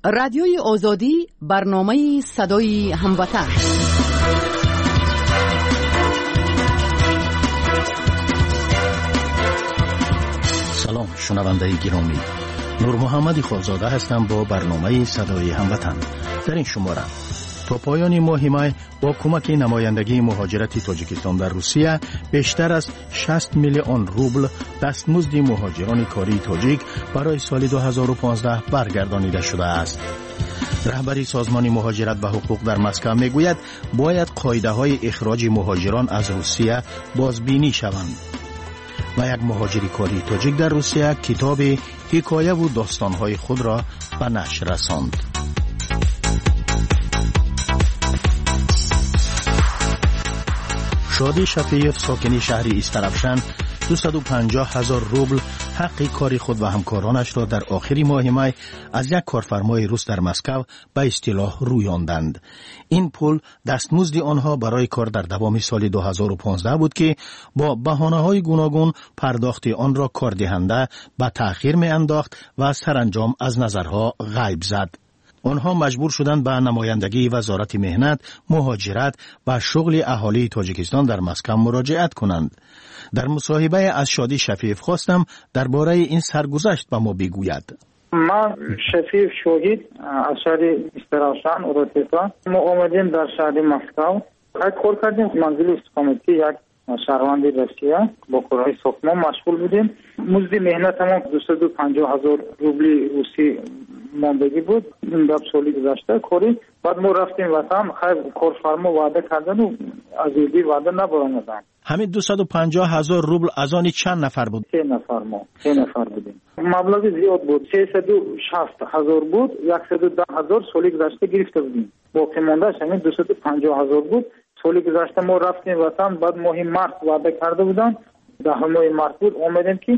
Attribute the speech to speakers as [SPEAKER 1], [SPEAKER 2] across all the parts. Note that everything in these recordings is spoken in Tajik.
[SPEAKER 1] Радиои Озодӣ, барномаи садои ҳамватан.
[SPEAKER 2] Салом, шунавандаи гиромӣ. Нурмуҳаммади Холзода ҳастам бо барномаи садои ҳамватан. Дар ин шумора то поёни моҳи май бо кӯмаки намояндагии муҳоҷирати Тоҷикистон дар Русия бештар аз 60 миллион рубл дастмузди муҳоҷирони кории тоҷик барои соли 2015 баргардонида шудааст. Раҳбари созмони муҳоҷират ва ҳуқуқ дар Москва мегӯяд, бояд қоидаҳои ихроҷи муҳоҷирон аз Русия бозбинӣ шаванд. Ва як муҳоҷири кории тоҷик дар Русия китоби ҳикояву достонҳои худро ба нашр расонд. Шодӣ Шафиев, сокини шаҳри Истаравшан, 250 ҳазор рубл ҳаққи кори худ ва ҳамкоронашро дар охири моҳи май аз як корфармои рус дар Москав ба истилоҳ рӯёнданд. Ин пул дастмузди онҳо барои кор дар давоми соли 2015 буд, ки бо баҳонаҳои гуногун пардохти онро кордиҳанда ба таъхир меандохт ва саранҷом аз назарҳо ғайб зад. Онҳо маҷбур шуданд ба намояндагии Вазорати меҳнат, муҳоҷират ва шуғли аҳолии Тоҷикистон дар Москав муроҷиат кунанд. Дар мусоҳибае аз Шодӣ Шафиев хостам дар бораи ин саргузашт ба мо бигӯяд.
[SPEAKER 3] Ман Шафиев Шоҳид аз шаҳри Истаравшан, Уротепа. Мо омадем дар шаҳри Москав. Кор кардем манзили истиқоматии як шаҳрванди Россия, бо корҳои сохтмон машғул будем. Музди меҳнатамон 250 ҳазор рубли русӣ мондагӣ буд. Ин гап соли гузашта корӣ. Баъд мо рафтем ватан, хайр, корфармо ваъда кардану аз уҳдаи ваъда набаромаданд.
[SPEAKER 2] Ҳамин 250 ҳазор рубл аз они чанд нафар буд?
[SPEAKER 3] Се нафар, мо се нафар будем. Маблағи зиёд буд, 360 ҳазор буд, 110 ҳазор соли гузашта гирифта будем. Боқимондааш ҳамин 250 ҳазор буд. Соли гузашта мо рафтем ватан, баъд моҳи март ваъда карда буданд, 10 моҳи март буд, омадем ки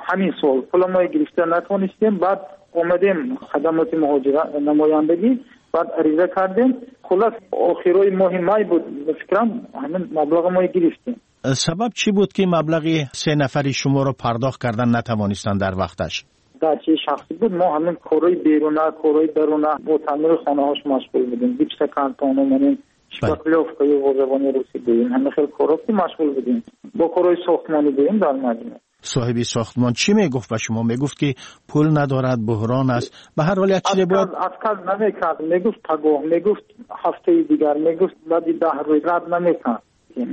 [SPEAKER 3] ҳамин сол пула мо гирифта натонистем. Баъд омадем хадамоти муҳоҷират, намояндагӣ, баъд ариза кардем. Хуллас, охирои моҳи май буд, ба фикрам, ҳамин маблаға мо гирифтем.
[SPEAKER 2] Сабаб чӣ буд, ки маблағи се нафари шуморо пардохт кардан натавонистанд дар вақташ?
[SPEAKER 3] Дачаи шахсӣ буд. Мо ҳамин корҳои беруна, корҳои даруна, бо таъмири хонаҳош машғул будем, гипсокартону манин шпаклёвка ё бо забони русӣ гӯем, ҳамин хел корҳо ки машғул будем, бо корҳои сохтмонӣ гӯем дар маҷмӯъ.
[SPEAKER 2] Соҳиби сохтмон чӣ мегуфт ба шумо? Мегуфт, ки пул надорад, буҳрон аст, ба ҳар ҳол як чизе бояд.
[SPEAKER 3] Отказ намекард, мегуфт пагоҳ, мегуфт ҳафтаи дигар, мегуфт баъди 10 рӯз, рад намекард.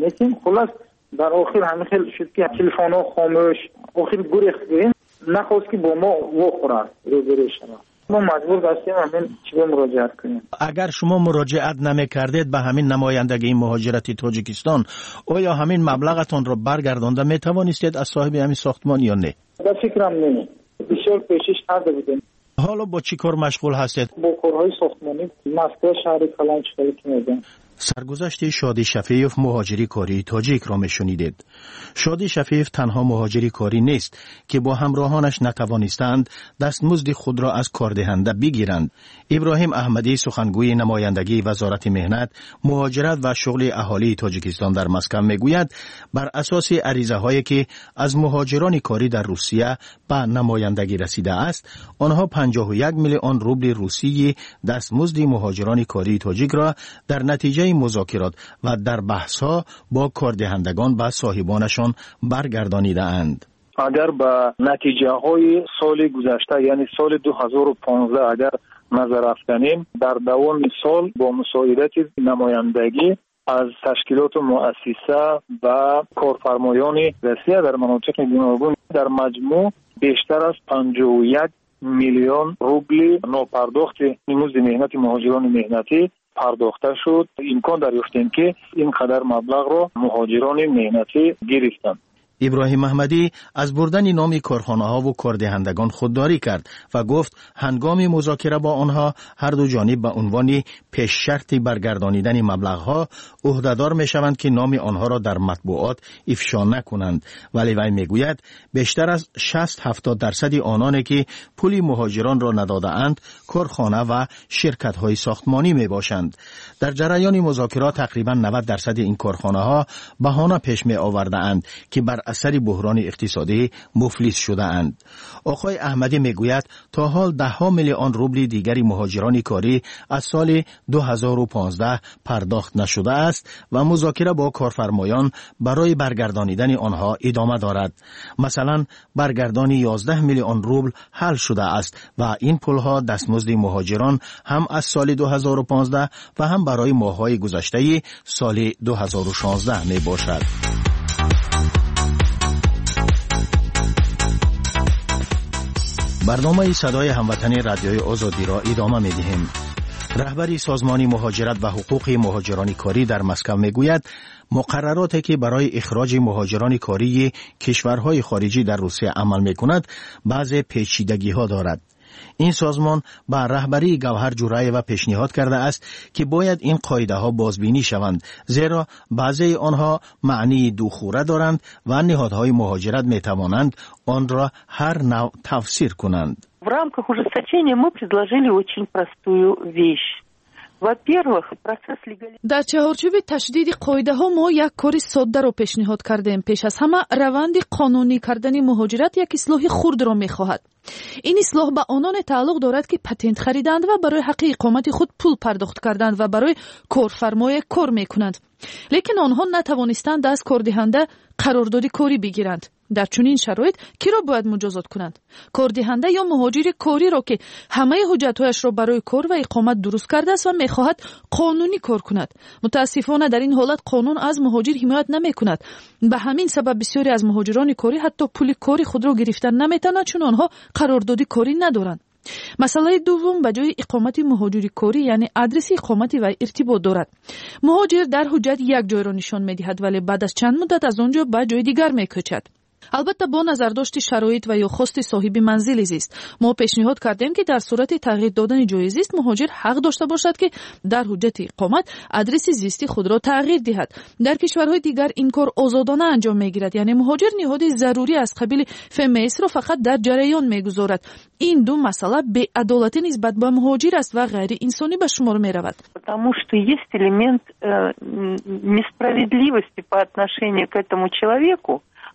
[SPEAKER 3] Лекин хуллас, дар охир ҳамин хел шуд, ки телефонҳо хомӯш, охир гурехт гӯем, нахост ки бо мо вохӯрад, рӯберӯ шавад. Мо маҷбур гаштем ҳамин чиба муроҷиат кунем.
[SPEAKER 2] Агар шумо муроҷиат намекардед ба ҳамин намояндагии муҳоҷирати Тоҷикистон, оё ҳамин маблағатонро баргардонда метавонистед аз соҳиби ҳамин сохтмон ё не?
[SPEAKER 3] Ба фикрам, не. Бисёр кӯшиш карда будем.
[SPEAKER 2] Ҳоло бо чӣ кор машғул ҳастед?
[SPEAKER 3] Бо корҳои сохтмонӣ, Москва, шаҳри калон, чӣ ки мегӯям.
[SPEAKER 2] Саргузашти Шодӣ Шафиев, муҳоҷири кории тоҷикро мешунидед. Шодӣ Шафиев танҳо муҳоҷири корӣ нест, ки бо ҳамроҳонаш натавонистаанд дастмузди худро аз кордиҳанда бигиранд. Иброҳим Аҳмадӣ, сухангӯи намояндагии Вазорати меҳнат, муҳоҷират ва шуғли аҳолии Тоҷикистон дар Москав, мегӯяд, бар асоси аризаҳое, ки аз муҳоҷирони корӣ дар Русия ба намояндагӣ расидааст, онҳо 51 миллион рубли русии дастмузди муҳоҷирони кории тоҷикро дар натиҷаи музокирот ва дар баҳсҳо бо кордиҳандагон ба соҳибонашон баргардонидаанд.
[SPEAKER 4] Агар ба натиҷаҳои соли гузашта, яъне соли 2015, агар назар афканем, дар давоми сол бо мусоидати намояндагӣ аз ташкилоту муассиса ва корфармоёни Россия дар манотиқи гуногун дар маҷмӯъ бештар аз 51 миллион рубли нопардохти музди меҳнати муҳоҷирони меҳнатӣ пардохта шуд. Имкон дарёфтем, ки ин қадар маблағро муҳоҷирони меҳнатӣ гирифтанд.
[SPEAKER 2] Иброҳим Аҳмадӣ аз бурдани номи корхонаҳову кордиҳандагон худдорӣ кард ва гуфт, ҳангоми музокира бо онҳо ҳарду ҷониб ба унвони пешшарти баргардонидани маблағҳо ӯҳдадор мешаванд, ки номи онҳоро дар матбуот ифшо накунанд. Вале вай мегӯяд, бештар аз 60-70 дарсади ононе, ки пули муҳоҷиронро надодаанд, корхона ва ширкатҳои сохтмонӣ мебошанд. Дар ҷараёни музокирот тақрибан 90 дарсади ин корхонаҳо баҳона пеш меовардаанд, ки бар асари буҳрони иқтисодӣ муфлис шудаанд. Оқои Аҳмадӣ мегӯяд, то ҳол даҳҳо миллион рубли дигари муҳоҷирони корӣ аз соли 2015 пардохт нашудааст ва музокира бо корфармоён барои баргардонидани онҳо идома дорад. Масалан, баргардони 11 миллион рубл ҳал шудааст ва ин пулҳо дастмузди муҳоҷирон ҳам аз соли 2015 ва ҳам барои моҳҳои гузаштаи соли 2016 мебошад. Барномаи Садои Ҳамватани Радиои Озодиро идома медиҳем. Раҳбари Созмони муҳоҷират ва ҳуқуқи муҳоҷирони корӣ дар Москва мегӯяд, муқаррароте ки барои ихроҷи муҳоҷирони кории кишварҳои хориҷӣ дар Русия амал мекунад, баъзе печидагиҳо дорад. Ин созмон ба раҳбарии Гавҳар Ҷураева пешниҳод кардааст, ки бояд ин қоидаҳо бозбинӣ шаванд, зеро баъзеи онҳо маънии духӯра доранд ва ниҳодҳои муҳоҷират метавонанд онро ҳар навъ тафсир кунанд.
[SPEAKER 5] В рамках ужесточения мы предложили очень простую вещь. Во-первых, процесс легализации...
[SPEAKER 6] Дар чаҳорчӯби ташдиди қоидаҳо мо як кори соддаро пешниҳод кардем. Пеш аз ҳама, раванди қонунӣ кардани муҳоҷират як ислоҳи хурдро мехоҳад. Ин ислоҳ ба ононе тааллуқ дорад, ки патент харидаанд ва барои ҳаққи иқомати худ пул пардохт карданд ва барои корфармое кор мекунанд. Лекин онҳо натавонистанд аз кордиҳанда қарордоди корӣ бигиранд. Дар чунин шароит киро бояд муҷозот кунанд? Кордиҳанда ё муҳоҷири кориро, ки ҳамаи ҳуҷҷатҳояшро барои кор ва иқомат дуруст кардааст ва мехоҳад қонунӣ кор кунад? Мутаассифона, дар ин ҳолат қонун аз муҳоҷир ҳимоят намекунад. Ба ҳамин сабаб бисёре аз муҳоҷирони корӣ ҳатто пули кори худро гирифта наметавонанд, чун онҳо қарордоди корӣ надоранд. Масъалаи дуввум ба ҷои иқомати муҳоҷири корӣ, яъне адреси иқомати вай иртибот дорад. Муҳоҷир дар ҳуҷҷат як ҷойро нишон медиҳад, вале баъд аз чанд муддат аз он ҷо ба ҷои дигар мекӯчад. Албатта, бо назардошти шароит ва ё хости соҳиби манзили зист. Мо пешниҳод кардем, ки дар сурати тағйир додани ҷои зист муҳоҷир ҳақ дошта бошад, ки дар ҳуҷҷати иқомат адреси зисти худро тағйир диҳад. Дар кишварҳои дигар ин кор озодона анҷом мегирад, яъне муҳоҷир ниҳоди зарурӣ аз қабили ФМС-ро фақат дар ҷараён мегузорад. Ин ду масъала беадолатӣ нисбат ба муҳоҷир аст ва ғайриинсонӣ ба шумор меравад.
[SPEAKER 5] Потому что есть элемент несправедливости по отношению к этому человеку,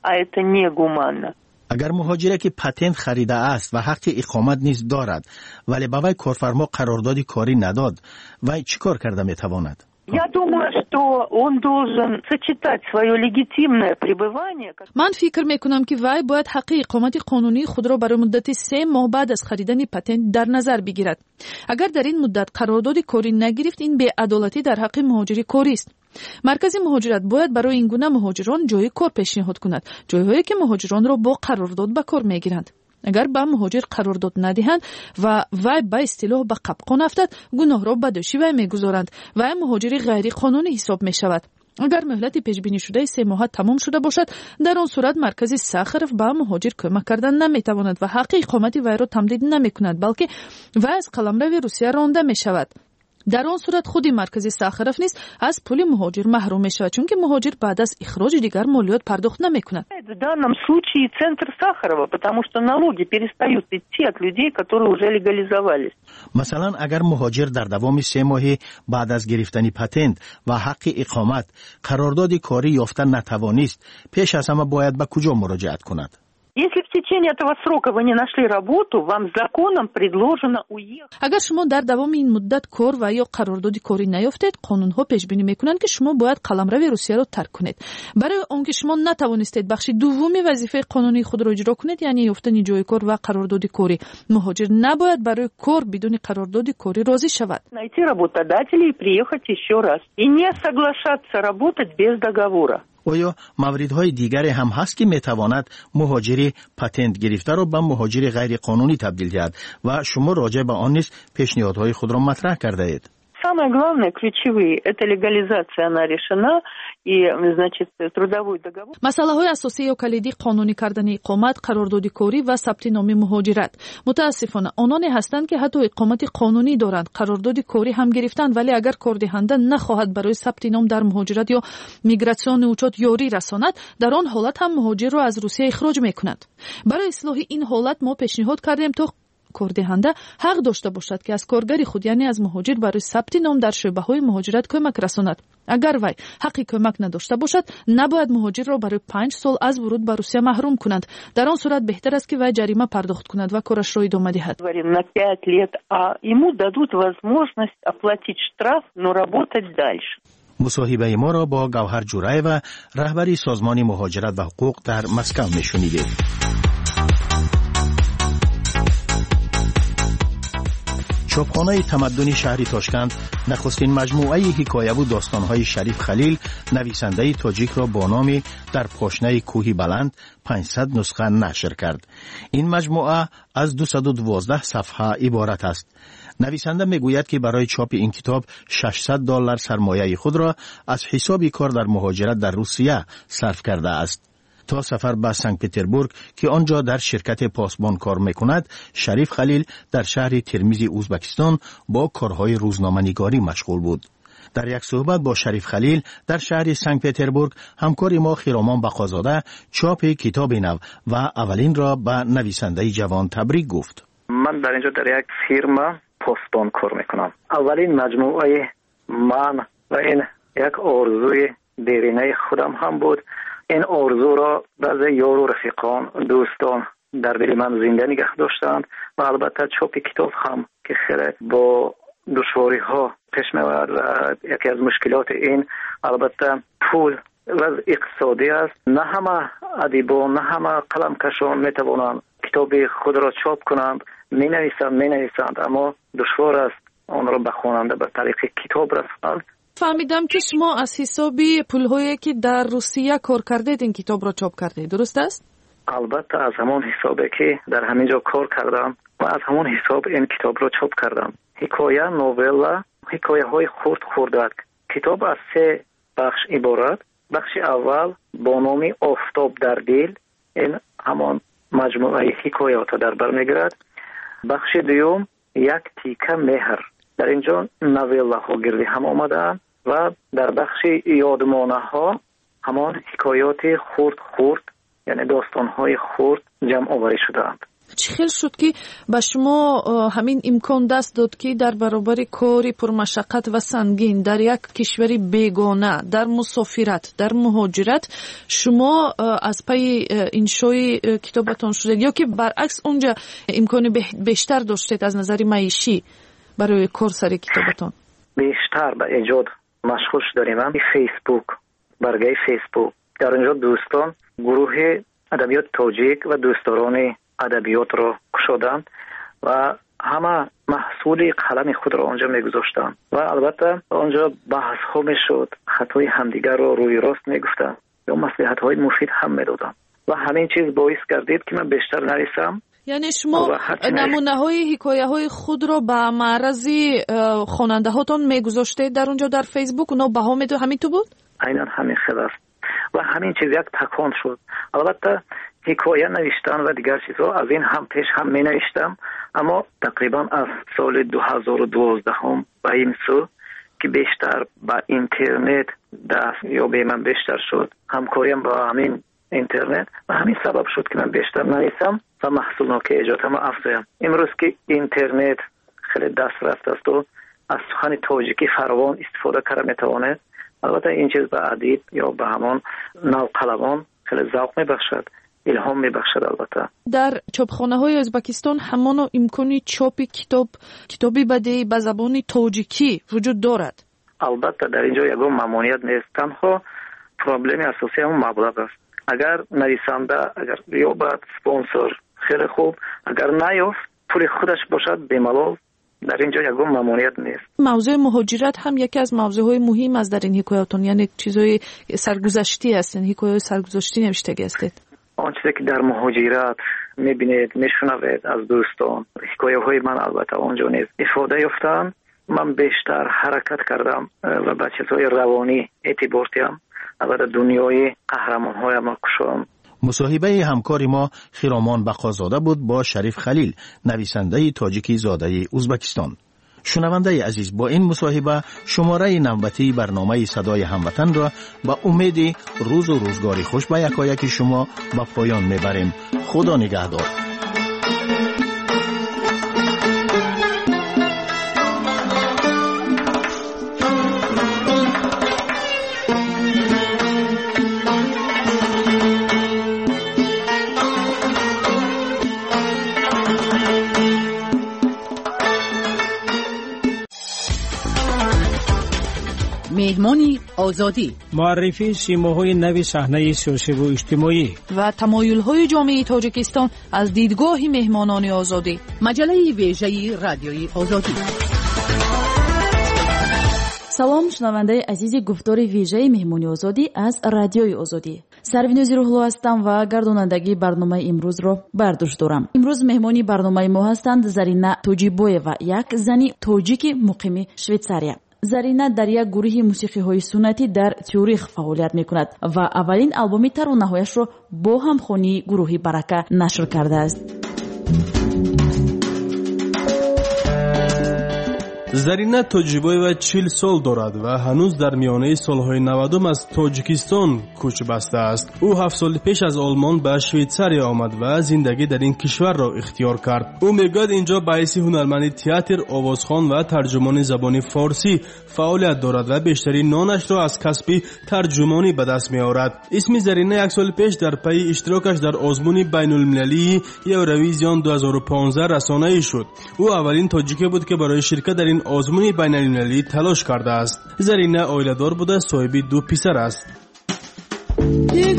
[SPEAKER 5] а это негуманно.
[SPEAKER 2] Агар муҳоҷире ки патент харидааст ва ҳаққи иқомат низ дорад, вале ба вай корфармо қарордоди корӣ надод, вай чӣ кор карда метавонад?
[SPEAKER 5] Я думаю, что он должен сочетать свое легитимное пребывание.
[SPEAKER 6] Ман фикр мекунам, ки вай бояд ҳаққи иқомати қонунии худро барои муддати 3 моҳ баъд аз харидани патент дар назар бигирад. Агар дар ин муддат қарордоди корӣ нагирифт, ин беадолатӣ дар ҳаққи муҳоҷири корист. Маркази муҳоҷират бояд барои ин гуна муҳоҷирон ҷои кор пешниҳод кунад, ҷойҳое ки муҳоҷиронро бо қарордод ба кор мегиранд. Агар ба муҳоҷир қарордод надиҳанд ва вай ба истилоҳ ба қапқон афтад, гуноҳро ба дӯши вай мегузоранд. Вай муҳоҷири ғайриқонунӣ ҳисоб мешавад. Агар муҳлати пешбинишудаи 3 моҳа тамом шуда бошад, дар он сурат маркази Сахаров ба муҳоҷир кӯмак кардан наметавонад ва ҳаққи иқомати вайро тамдид намекунад, балки вай аз қаламрави Русия ронда мешавад. Дар он сурат худи маркази Сахаров низ аз пули муҳоҷир маҳрум мешавад, чунки муҳоҷир баъд аз ихроҷи дигар молиёт пардохт намекунад.
[SPEAKER 5] В данном случае центр Сахарова, потому что налоги перестают идти от людей, которые уже легализовались.
[SPEAKER 2] Масалан, агар муҳоҷир дар давоми 3 моҳи баъд аз гирифтани патент ва ҳаққи иқомат қарордоди корӣ ёфта натавонист, пеш аз ҳама бояд ба куҷо муроҷиат кунад?
[SPEAKER 5] Если в течение этого срока вы не нашли работу, вам законом предложено уехать.
[SPEAKER 6] Агар шумо дар давоми ин муддат кор ва ё қарордоди корӣ наёфтед, қонунҳо пешбинӣ мекунанд, ки шумо бояд қаламрави Русияро тарк кунед. Барои он ки шумо натавонистед бахши дуввуми вазифаи қонунии худро иҷро кунед, яъне ёфтани ҷои кор ва қарордоди корӣ, муҳоҷир набояд барои кор бидуни қарордоди корӣ розӣ шавад.
[SPEAKER 5] Найти работодателя и приехать еще раз. И не соглашаться работать без договора.
[SPEAKER 2] Оё мавридҳои дигаре ҳам ҳаст, ки метавонад муҳоҷири патент гирифтаро ба муҳоҷири ғайриқонунӣ табдил диҳад ва шумо роҷеъ ба он низ пешниҳодҳои худро матраҳ кардаед?
[SPEAKER 5] Самое главное, ключевые, это легализация, она решена, и, значит, трудовой договор.
[SPEAKER 6] Масъалаҳои асосӣ ё калидӣ: қонунӣ кардани иқомат, қарордоди корӣ ва сабти номи муҳоҷират. Мутаассифона, ононе ҳастанд, ки ҳатто иқомати қонунӣ доранд, қарордоди корӣ ҳам гирифтанд, вале агар кордиҳанда нахоҳад барои сабти ном дар муҳоҷират ё миграционный учёт ёрӣ расонад, дар он ҳолат ҳам муҳоҷирро аз Русия ихроҷ мекунад. Барои ислоҳи ин ҳолат мо пешниҳод кардем, то Кордиҳанда ҳақ дошта бошад, ки аз коргари худ, яъне аз муҳоҷир, барои сабти ном дар шӯъбаҳои муҳоҷират кӯмак расонад. Агар вай ҳаққи кӯмак надошта бошад, набояд муҳоҷирро барои 5 сол аз вуруд ба Русия маҳрум кунанд. Дар он сурат беҳтар аст, ки вай ҷарима пардохт кунад ва корашро идома диҳад.
[SPEAKER 5] На 5 лет, а ему дадут возможность оплатить штраф, но работать дальше.
[SPEAKER 2] Мусоҳибаи моро бо Гавҳар Ҷураева, раҳбари Созмони муҳоҷират ва ҳуқуқ дар Москав мешунидед. Чопхонаи тамаддуни шаҳри Тошканд нахустин маҷмӯаи ҳикояву достонҳои Шариф Халил, нависандаи тоҷикро бо номи «Дар пошнаи кӯҳи баланд» 500 нусха нашр кард. Ин маҷмӯа аз 212 сафҳа иборат аст. Нависанда мегӯяд, ки барои чопи ин китоб $600 сармояи худро аз ҳисоби кор дар муҳоҷират дар Русия сарф кардааст. То сафар ба Санкт-Петербург, ки он ҷо дар ширкати посбон кор мекунад, Шариф Халил дар шаҳри Термизи Узбекистон бо корҳои рӯзноманигорӣ машғул буд. Дар як суҳбат бо Шариф Халил дар шаҳри Санкт-Петербург ҳамкори мо Хиромон Бақозода чопи китоби нав ва аввалинро ба нависандаи ҷавон табрик гуфт.
[SPEAKER 7] Ман дар инҷо дар як фирма посбон кор мекунам. Аввалин маҷмӯаи ман ва ин як орзуи деринаи худам ҳам буд. Ин орзуро баъзе ёру рафиқон, дӯстон дар дили ман зинда нигаҳ доштанд ва албатта чопи китоб ҳам, ки хеле бо душвориҳо пеш меояд ва яке аз мушкилоти ин албатта пул вазъ иқтисодӣ аст. На ҳама адибон, на ҳама қаламкашон метавонанд китоби худро чоп кунанд. Менависанд, аммо душвор аст онро ба хонанда ба тариқи китоб расонанд.
[SPEAKER 6] Фаҳмидам, ки шумо аз ҳисоби пулҳое, ки дар Русия кор кардед, ин китобро чоп кардед, дуруст аст?
[SPEAKER 7] Албатта, аз ҳамон ҳисобе, ки дар ҳамин ҷо кор кардам ва аз ҳамон ҳисоб ин китобро чоп кардам. Ҳикоя, новелла, ҳикояҳои хурд хурдак. Китоб аз 3 бахш иборат. Бахши аввал бо номи «Офтоб дар дил», ин ҳамон маҷмӯаи ҳикоятро дар бар мегирад. Бахши дуюм «Як тика меҳр», дар ин ҷо новеллаҳо гирди ҳам омадаанд ва дар бахши ёдмонаҳо ҳамон ҳикоёти хурд хурд, яъне достонҳои хурд ҷамъоварӣ шудаанд.
[SPEAKER 6] Чӣ хел шуд, ки ба шумо ҳамин имкон даст дод, ки дар баробари кори пурмашаққат ва сангин дар як кишвари бегона, дар мусофират, дар муҳоҷират, шумо аз пайи иншои китобатон шудед, ё ки баръакс унҷа имкони бештар доштед аз назари маишӣ барои кор сари китобатон?
[SPEAKER 7] Бештар ба эҷод машғул шудаем. Фейсбук, баргаи Фейсбук, дар инҷо дӯстон гурӯҳи адабиёти тоҷик ва дӯстдорони адабиётро кушоданд ва ҳама маҳсули қалами худро онҷо мегузоштанд ва албатта онҷо баҳсҳо мешуд, хатои ҳамдигарро рӯи рост мегуфтанд ё маслиҳатҳои муфид ҳам медоданд ва ҳамин чиз боис гардид, ки ман бештар нависам.
[SPEAKER 6] Яъне шумо намунаҳои ҳикояҳои худро ба маърази хонандаҳотон мегузоштед дар он ҷо, дар Фейсбук, онҳо баҳо медод, ҳамин ту буд?
[SPEAKER 7] Айнан ҳамин хел аст ва ҳамин чиз як такон шуд. Албатта ҳикоя навиштан ва дигар чизҳо аз ин ҳам пеш ҳам менавиштам, аммо тақрибан аз соли 2012 ба ин сӯ, ки бештар ба интернет даст ёбии ман бештар шуд, ҳамкориям ба ҳамин интернет ва ҳамин сабаб шуд, ки ман бештар нависам ва маҳсулнокии эҷодамро афзоям. Имрӯз ки интернет хеле даст рафт асту аз сухани тоҷикӣ фаровон истифода карда метавонед, албатта ин чиз ба адиб ё ба ҳамон навқаламон хеле завқ мебахшад, илҳом мебахшад. Албатта
[SPEAKER 6] дар чопхонаҳои Ӯзбекистон ҳамоно имкони чопи китоб, китоби бадеӣ ба забони тоҷикӣ вуҷуд дорад?
[SPEAKER 7] Албатта, дар ин ҷо ягон мамоният нест, танҳо проблеми асосӣ ҳамон маблағ аст. Агар нависанда агар ёбад спонсор, хеле хуб, агар наёфт, пули худаш бошад, бемалол, дар ин ҷо ягон мамоният нест.
[SPEAKER 6] Мавзӯи муҳоҷират ҳам яке аз мавзӯъҳои муҳим аст дар ин ҳикоятон, яъне чизҳои саргузаштӣ ҳастен, ҳикояҳои саргузаштӣ навиштагӣ ҳастед.
[SPEAKER 7] Он чизе ки дар муҳоҷират мебинед, мешунавед аз дӯстон, ҳикояҳои ман албатта он ҷо низ ифода ёфтаанд. Ман бештар ҳаракат кардам ва ба чизҳои равонӣ эътибор диҳам, албатта дунёи қаҳрамонҳоямро кушоям.
[SPEAKER 2] Мусоҳибаи ҳамкори мо Хиромон Бақозода буд бо Шариф Халил, нависандаи тоҷики зодаи Узбекистон. Шунавандаи азиз, бо ин мусоҳиба шумораи навбатии барномаи «Садои ҳамватанро» ба умеди рӯзу рӯзгори хуш ба якояки шумо ба поён мебарем. Худо нигаҳдор.
[SPEAKER 1] Меҳмони Озодӣ.
[SPEAKER 8] Муаррифии симоҳои нави саҳнаи сиёсиву иҷтимоӣ
[SPEAKER 6] ва тамоюлҳои ҷомеаи Тоҷикистон аз дидгоҳи меҳмонони Озодӣ.
[SPEAKER 1] Маҷаллаи вежаи Радиои Озодӣ.
[SPEAKER 9] Салом, шунавандаи азизи гуфтори вежаи Меҳмони Озодӣ аз Радиои Озодӣ. Сарвинози Рӯҳло ҳастам ва гардонандагии барномаи имрӯзро бар дӯш дорам. Имрӯз меҳмони барномаи мо ҳастанд Зарина Тоҷибоева, як зани тоҷики муқими Швейтсария. Зарина дар як гурӯҳи мусиқиҳои суннатӣ дар Тюрих фаъолият мекунад ва аввалин албоми таронаҳояшро бо ҳамхонии гурӯҳи Барака нашр кардааст.
[SPEAKER 10] Зарина Тоҷибоева 40 сол дорад ва ҳанӯз дар миёнаи солҳои 90 аз Тоҷикистон кӯч бастааст. Ӯ 7 соли пеш аз Олмон ба Швейтсария омад ва зиндагӣ дар ин кишварро ихтиёр кард. Ӯ мегӯяд, инҷо ба ҳайси ҳунарманди театр, овозхон ва тарҷумони забони форсӣ фаъолият дорад ва бештари нонашро аз касби тарҷумонӣ ба даст меорад. Исми Зарина як соли пеш дар пайи иштирокаш дар озмуни байнулмилалии Евровизион 2015 расонаӣ шуд. Ӯ аввалин тоҷике буд, ки барои ширкат дар ин озмуни байналмилалӣ талош кардааст. Зарина оиладор буда, соҳиби 2 писар аст.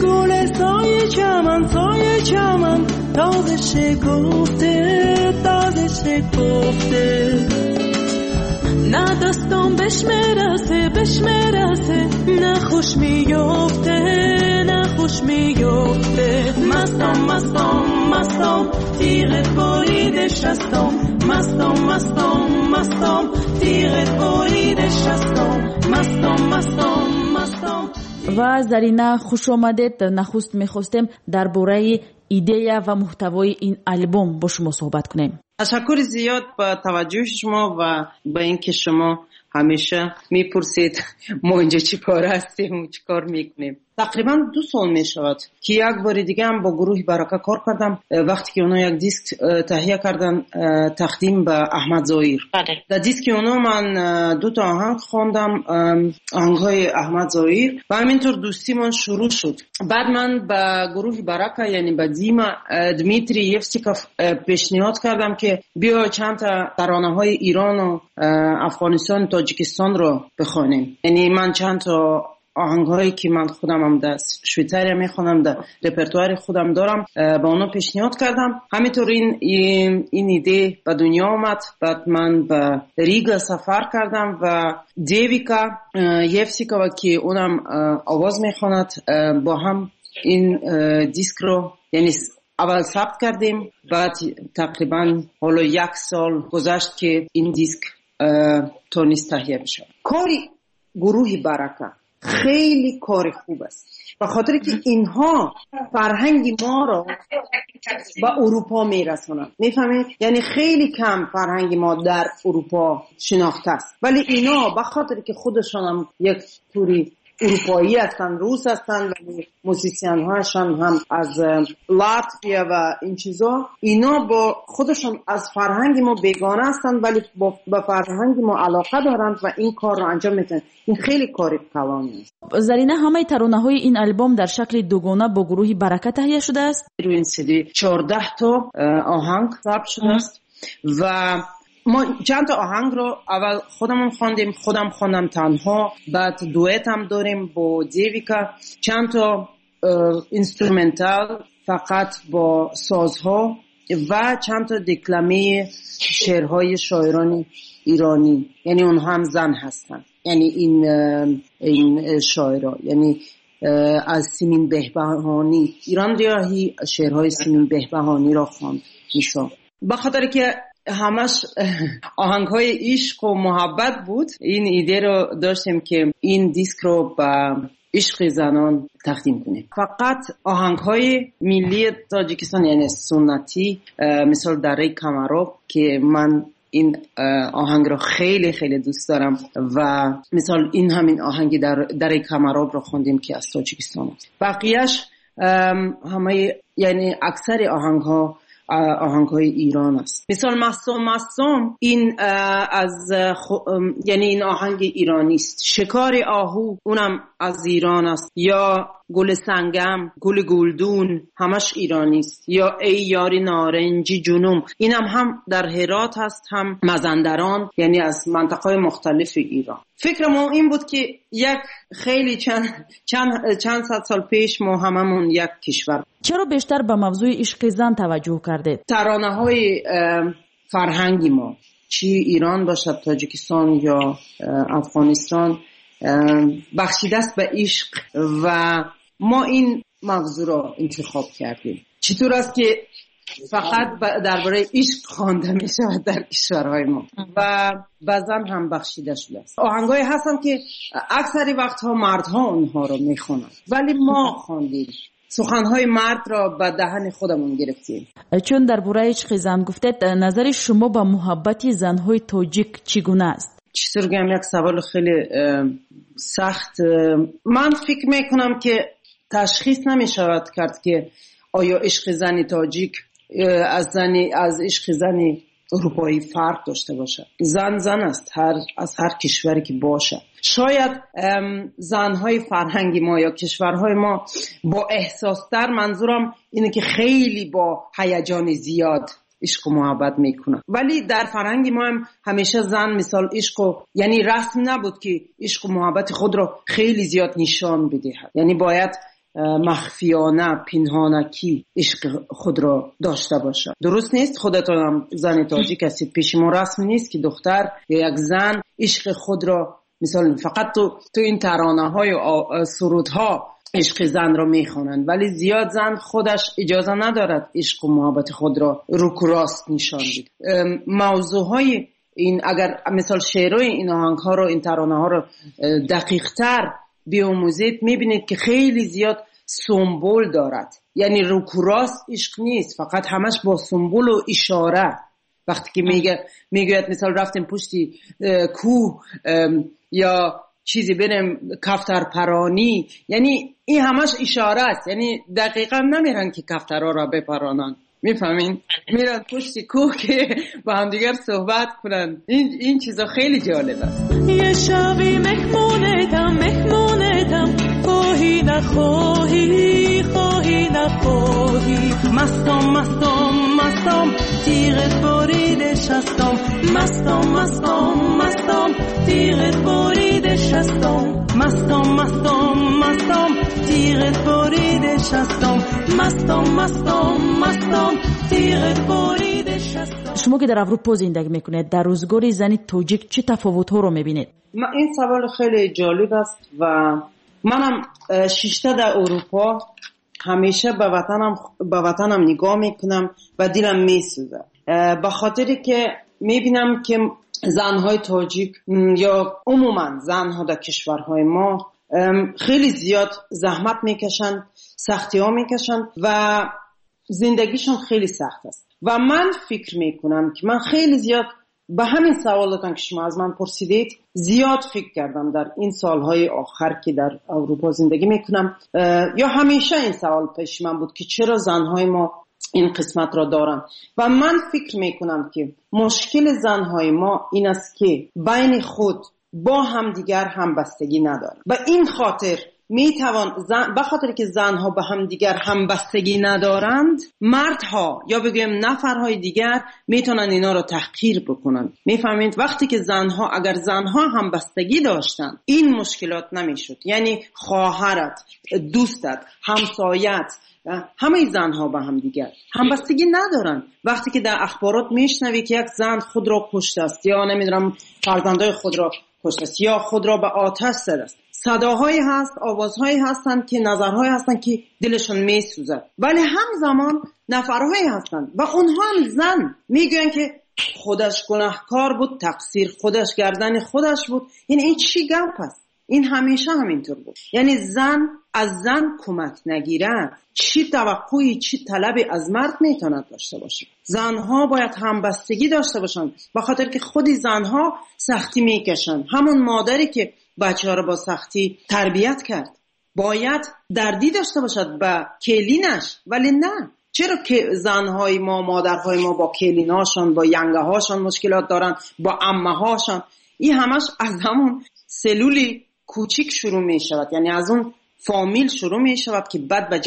[SPEAKER 11] گل سایه چمن، سایه چمن، تازه شکفته، تازه شکفته. نه دستم بش میرسه، بش میرسه، نه خوش میفته، نه خوش میفته. مستم، مستم، مستم، تیغت بریده شستم. مستم، مستم، مستم، تیغت بریده شستم. مستم، مستم، مستم.
[SPEAKER 9] Ва Зарина, хуш омадед. Нахуст мехостем дар бораи идея ва муҳтавои ин албом бо шумо суҳбат кунем.
[SPEAKER 12] Ташаккури зиёд ба таваҷҷӯҳи шумо ва ба ин ки шумо ҳамеша мепурсед, мо инҷо чӣ кор ҳастем ва чӣ кор мекунем. Тақрибан 2 сол мешавад, ки як бори дига ҳам бо гурӯҳи Барака кор кардам, вақте ки онҳо як диск таҳия кардан, тақдим ба Аҳмад Зоир. Дар диски онҳо ман 2 та оҳанг хондам, оҳангҳои Аҳмад Зоир, ва ҳаминтур дӯстимон шурӯъ шуд. Баъд ман ба гурӯҳи Барака, яъне ба Дима Дмитрий Евсиков пешниҳод кардам, ки биё чанд та таронаҳои Ирону Афғонистон, Тоҷикистонро бихонем. Яъне ман чанд та оҳангҳое ки ман худам ҳам дар Швейтсария мехонам, дар репертуари худам дорам, ба онҳо пешниҳод кардам. Ҳаминтур ин идея ба дунё омад. Баъд ман ба Рига сафар кардам ва Девика Евсикова, ки унам овоз мехонад, бо ҳам ин дискро, яъне аввал сабт кардем, баъд тақрибан ҳоло 1 сол гузашт, ки ин диск тонист таҳия бишавад. Кори гурӯҳи Барака хеле кори хуб аст, ба хотире ки инҳо фарҳанги моро ба Аврупо мерасонанд. Мефаҳмед? Яъне хеле кам фарҳанги мо дар Аврупо шинохта аст, вале ино ба хотире ки худашон ҳам як тури аврупоӣ ҳастанд, рус ҳастанд, вале мусисианҳояшон ҳам аз Латвия ва ин чизо, ино бо худашон аз фарҳанги мо бегона ҳастанд, вале ба фарҳанги мо алоқа доранд ва ин корро анҷом медиҳанд. Ин хеле кори калон аст.
[SPEAKER 9] Зарина, ҳамаи таронаҳои ин албом дар шакли дугона бо гурӯҳи Барака таҳия шудааст?
[SPEAKER 12] Рӯи ин сиди 14 то оҳанг сабт шудааст ва мо чанд та оҳангро аввал худамон хондем, худам хондам танҳо, баъд дуэт ҳам дорем бо Девика, чанд то инструментал фақат бо созҳо ва чанд та декламаи шеърҳои шоирони иронӣ, яъне онҳо ҳам зан ҳастанд, яъне ин шоиро, яъне аз Симин Беҳбаҳонӣ, Ирон Риёҳӣ шеърҳои Симин Беҳбаҳониро хонд. Мисол ба хотире ки ҳамаш оҳангҳои ишқу муҳаббат буд, ин идеяро доштем, ки ин дискро ба ишқи занон тақдим кунем. Фақат оҳангҳои миллии Тоҷикистон, яъне суннатӣ, мисол дараи Камароб, ки ман ин оҳангро хеле хеле дӯст дорам ва мисол ин ҳамин оҳанги дараи Камаробро хондем, ки аз Тоҷикистон аст. Бақияш ҳамаи, яъне аксари оҳангҳо оҳангҳои Ирон аст. Мисол Мастом Мастом, ин аз яъне ин оҳанги иронӣ аст. Шикори оҳу, унам аз Ирон аст. Ё گل سنگم، گل گلدون، همش ایرانی است. یا ای یاری نارنجی جنوم، اینم هم در هرات هست هم مازندران، یعنی از منطقه‌های مختلف ایران. فکر ما این بود که یک خیلی چند صد سال پیش ما هممون یک کشور.
[SPEAKER 9] چرا بیشتر به موضوع عشق زن توجه کردید؟
[SPEAKER 12] ترانه‌های فرهنگی ما، چی ایران باشد، تاجیکستان یا افغانستان، بخشیده است به عشق و ما این موضوع را انتخاب کردیم. چطور است که فقط درباره عشق خوانده می شود در کشورهای ما و به زن هم بخشیده شده است. آهنگایی هستن که اکثری وقتها مردها اونها را می خوانند، ولی ما خواندیم، سخنهای مرد را به دهن خودمون گرفتیم.
[SPEAKER 9] چون درباره عشق زن گفتید، نظر شما به محبت زنهای تاجیک چگونه است؟
[SPEAKER 12] چطور گم، یک سوال خیلی سخت. من فکر میکنم که تشخیص نمیشود کرد که آیا عشق زن تاجیک از عشق زن اروپایی فرق داشته باشد. زن زن است، از هر کشوری که باشد. شاید زنهای فرهنگ ما یا کشورهای ما با احساستر، منظورم اینه که خیلی با هیجان زیاد عشق و محبت میکنن، ولی در فرهنگ ما هم همیشه زن مثال عشق و، یعنی رسم نبود که عشق و محبت خود را خیلی زیاد نشان بدهد، یعنی باید مخفیانه، پنهانکی عشق خود را داشته باشد. درست نیست؟ خودتان هم زن تاجیک هستید، پیش ما رسم نیست که دختر یا یک زن عشق خود را مثال فقط تو این ترانه های و سرودها عشق زن را میخوانند، ولی زیاد زن خودش اجازه ندارد عشق و محبت خود را روک و راست نشان بده. موضوع های این، اگر مثال شعرهای این آهنگ ها رو، این ترانه ها رو دقیق تر بیاموزید، میبینید که خیلی زیاد سمبل دارد، یعنی روک و راست عشق نیست، فقط همش با سمبل و اشاره. وقتی که میگوید مثال رفتیم پشتی کوه یا چیزی بریم کفتر پرانی، یعنی این همش اشاره است، یعنی دقیقا نمیرن که کفترها را بپرانن، میفهمین؟ میرن پشت کوه که با هم دیگر صحبت کنن. این چیزا خیلی جالب است.
[SPEAKER 11] یه شبی مهمونتم، مهمونتم، خواهی نخواهی، خواهی نخواهی، مستم مستم مستم، تیغت بریده شستم، مستم مستم مستم، تیغت بریده شستم، مستم مستم مستم، تیغت بریده شستم، مستم مستم مستم، تیغت بریده شستم.
[SPEAKER 9] شما که در اروپا زندگی میکنید، در روزگار زن تاجیک چه تفاوت‌ها رو میبینید؟
[SPEAKER 12] این سوال خیلی جالب است و منم شیشته در اروپا همیشه به وطنم نگاه میکنم و دلم میسوزه، به خاطری که میبینم که زنهای تاجیک یا عموما زنها در کشورهای ما خیلی زیاد زحمت میکشن، سختی ها میکشن و زندگیشون خیلی سخت است. و من فکر میکنم که من خیلی زیاد به همین سوالاتان که شما از من پرسیدید زیاد فکر کردم در این سالهای آخر که در اروپا زندگی میکنم، یا همیشه این سوال پیش من بود که چرا زنهای ما این قسمت را دارن. و من فکر میکنم که مشکل زنهای ما این است که بین خود با همدیگر همبستگی ندارن. و این خاطر میتوان به خاطر که زنها به همدیگر همبستگی ندارند، مردها یا بگویم نفرهای دیگر میتونن اینا رو تحقیر بکنن. میفهمید؟ وقتی که زنها، اگر زنها همبستگی داشتن این مشکلات نمیشد. یعنی خواهرت، دوستت، همسایت، همه زنها به هم دیگر همبستگی ندارن. وقتی که در اخبارات میشنوی که یک زن خود را کشته است یا نمیدونم فرزندای خود را کشته است یا خود را به آتش زده است، صداهایی هست، آوازهایی هستند که نظرهایی هستند که دلشون میسوزد، ولی همزمان نفرهایی هستند و اونها هم زن میگن که خودش گناهکار بود، تقصیر خودش، گردن خودش بود. یعنی این چی گپ است؟ این همیشه همینطور بود. یعنی زن از زن کمک نگیرد چی توقعی، چی طلبی از مرد میتواند داشته باشه؟ زنها باید همبستگی داشته باشند، به خاطر که خودی زنها سختی میکشند. همون مادری که بچه‌ها رو با سختی تربیت کرد باید دردی داشته باشد به کلینش، ولی نه. چرا که زنهای ما، مادرهای ما با کلیناشان، با ینگه هاشان مشکلات دارن، با عمه هاشان؟ این همش از همون سلولی کوچیک شروع می شود، یعنی از اون فامیل شروع می شود که بعد به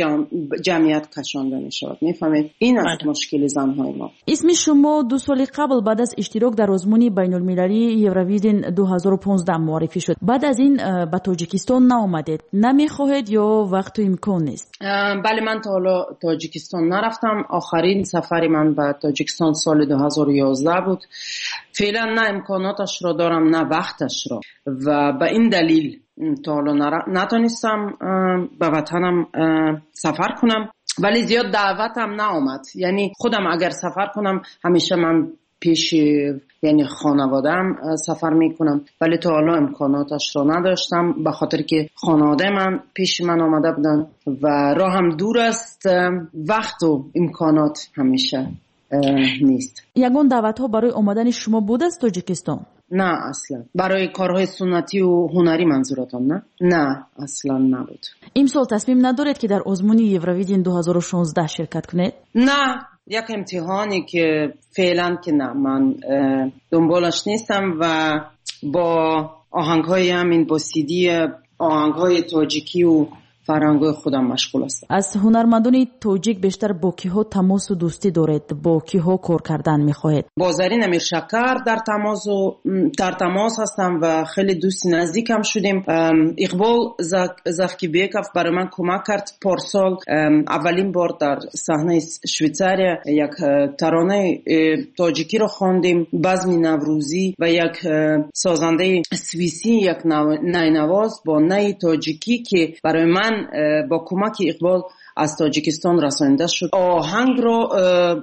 [SPEAKER 12] جمعیت کشانده می شود. میفهمید؟ این است مشکل زنهای ما.
[SPEAKER 9] اسم شما 2 سال قبل بعد از اشتراک در آزمون بین المللی یوروویژن 2015 معرفی شد. بعد از این به تاجیکستان نآمدید. نمیخواهید یا وقت و امکان نیست؟
[SPEAKER 12] بله، من تا حالا تاجیکستان نرفتم. آخرین سفر من به تاجیکستان سال 2011 بود. فعلا نه امکاناتش را دارم نه وقتش را و به این دلیل تا حالا نتونستم به وطنم سفر کنم، ولی زیاد دعوتم نآمد. یعنی خودم اگر سفر کنم همیشه من پیش یعنی خانواده‌ام سفر میکنم، ولی تا حالا امکاناتش را نداشتم به خاطر که خانواده من پیش من آمده بودن و راهم دور است، وقت و امکانات همیشه نیست.
[SPEAKER 9] یگان دعوت‌ها برای آمدن شما بود از تاجیکستان؟
[SPEAKER 12] نه اصلا. برای کارهای سنتی و هنری منظورتان؟ نه؟ نه اصلا نبود.
[SPEAKER 9] امسال تصمیم ندارید که در آزمون یوروویژن 2016 شرکت کنید؟
[SPEAKER 12] نه، یک امتحانی که فعلا که نه، من دنبالش نیستم و با آهنگ‌های همین با سیدی آهنگ‌های تاجیکی و فرهنگ‌های خودم مشغول هستم.
[SPEAKER 9] از هنرمندان تاجیک بیشتر با کی‌ها تماس و دوستی دارید؟ با کی‌ها کار کردن می‌خواهید؟
[SPEAKER 12] با زرین امیرشکر در تماس هستم و خیلی دوست نزدیکم شدیم. اقبال زفکیبیکов برای من کمک کرد. پارسال اولین بار در صحنه شویتساریا یک ترانه تاجیکی رو خواندیم، بزم نوروزی، و یک سازنده سوئیسی یک نینواز با نی تاجیکی که برای من با کمک اقبال از تاجیکستان رسانده شد. آهنگ رو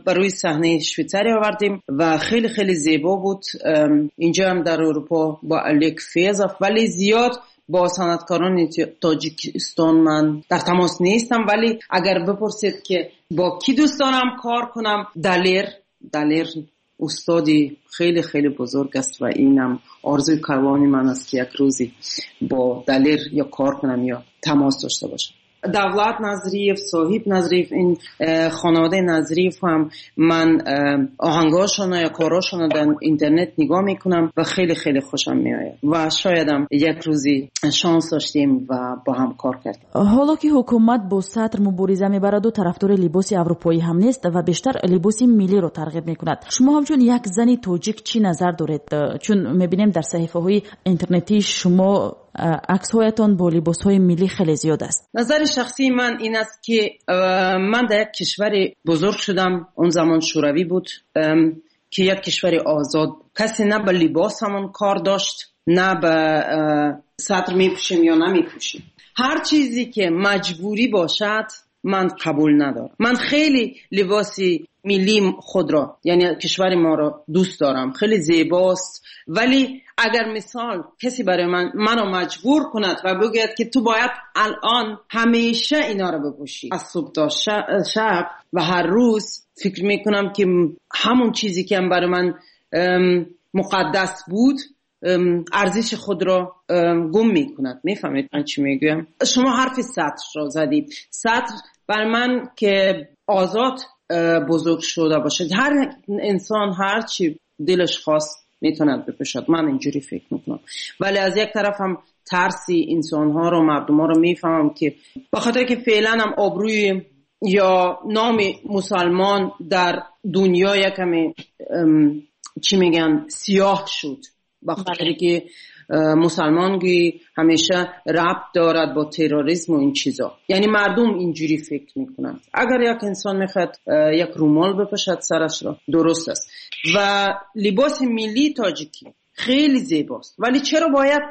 [SPEAKER 12] برای صحنه شویتساریا آوردیم و خیلی خیلی زیبا بود. اینجا هم در اروپا با الک فیزاف، ولی زیاد با صنعتکاران تاجیکستان من در تماس نیستم. ولی اگر بپرسید که با کی دوست دارم کار کنم، دلیر استادی خیلی خیلی بزرگ است و اینم آرزوی کلانی من است که یک روزی با دلیر یا کار کنم یا تماس داشته باشم. دولت نظریف، صاحب نظریف، این خانواده نظریف هم من آهنگاشون یا کاراشون در اینترنت نگاه میکنم و خیلی خیلی خوشم میآید و شایدم یک روزی شانس داشتیم و با هم کار کردیم.
[SPEAKER 9] حالا که حکومت با سطر مبارزه میبرد و طرفدار لباس اروپایی هم نیست و بیشتر لباس ملی رو ترغیب میکند، شما همچون یک زن تاجیک چی نظر دارید؟ چون میبینیم در صحیفه های اینترنتی شما عکس‌هایتان با لباس‌های ملی خیلی زیاد است.
[SPEAKER 12] نظر شخصی من این است که من در یک کشور بزرگ شدم، اون زمان شوروی بود، که یک کشور آزاد، کسی نه به لباسمون کار داشت نه به سطر میپوشیم یا نمیپوشیم. هر چیزی که مجبوری باشد من قبول ندارم. من خیلی لباسی ملی خود را، یعنی کشور ما را دوست دارم، خیلی زیباست، ولی اگر مثال کسی برای منو مجبور کند و بگوید که تو باید الان همیشه اینا رو بپوشی از صبح تا شب و هر روز، فکر میکنم که همون چیزی که هم برای من مقدس بود ارزش خود را گم میکند. میفهمید من چی میگویم؟ شما حرف سطر را زدید. سطر برای من که آزاد بزرگ شده باشد، هر انسان هر چی دلش خواست میتوند بپوشد، من اینجوری فکر میکنم. ولی از یک طرف هم ترسی انسانها رو، مردم ها رو میفهمم که به خاطر که فعلا هم آبروی یا نام مسلمان در دنیا یکمی چی میگن سیاه شد، به خاطر که مسلمانگی همیشه ربط دارد با تروریسم و این چیزا، یعنی مردم اینجوری فکر میکنند. اگر یک انسان میخواد یک رومال بپوشد سرش را، درست است. و لباس ملی تاجیکی خیلی زیباست، ولی چرا باید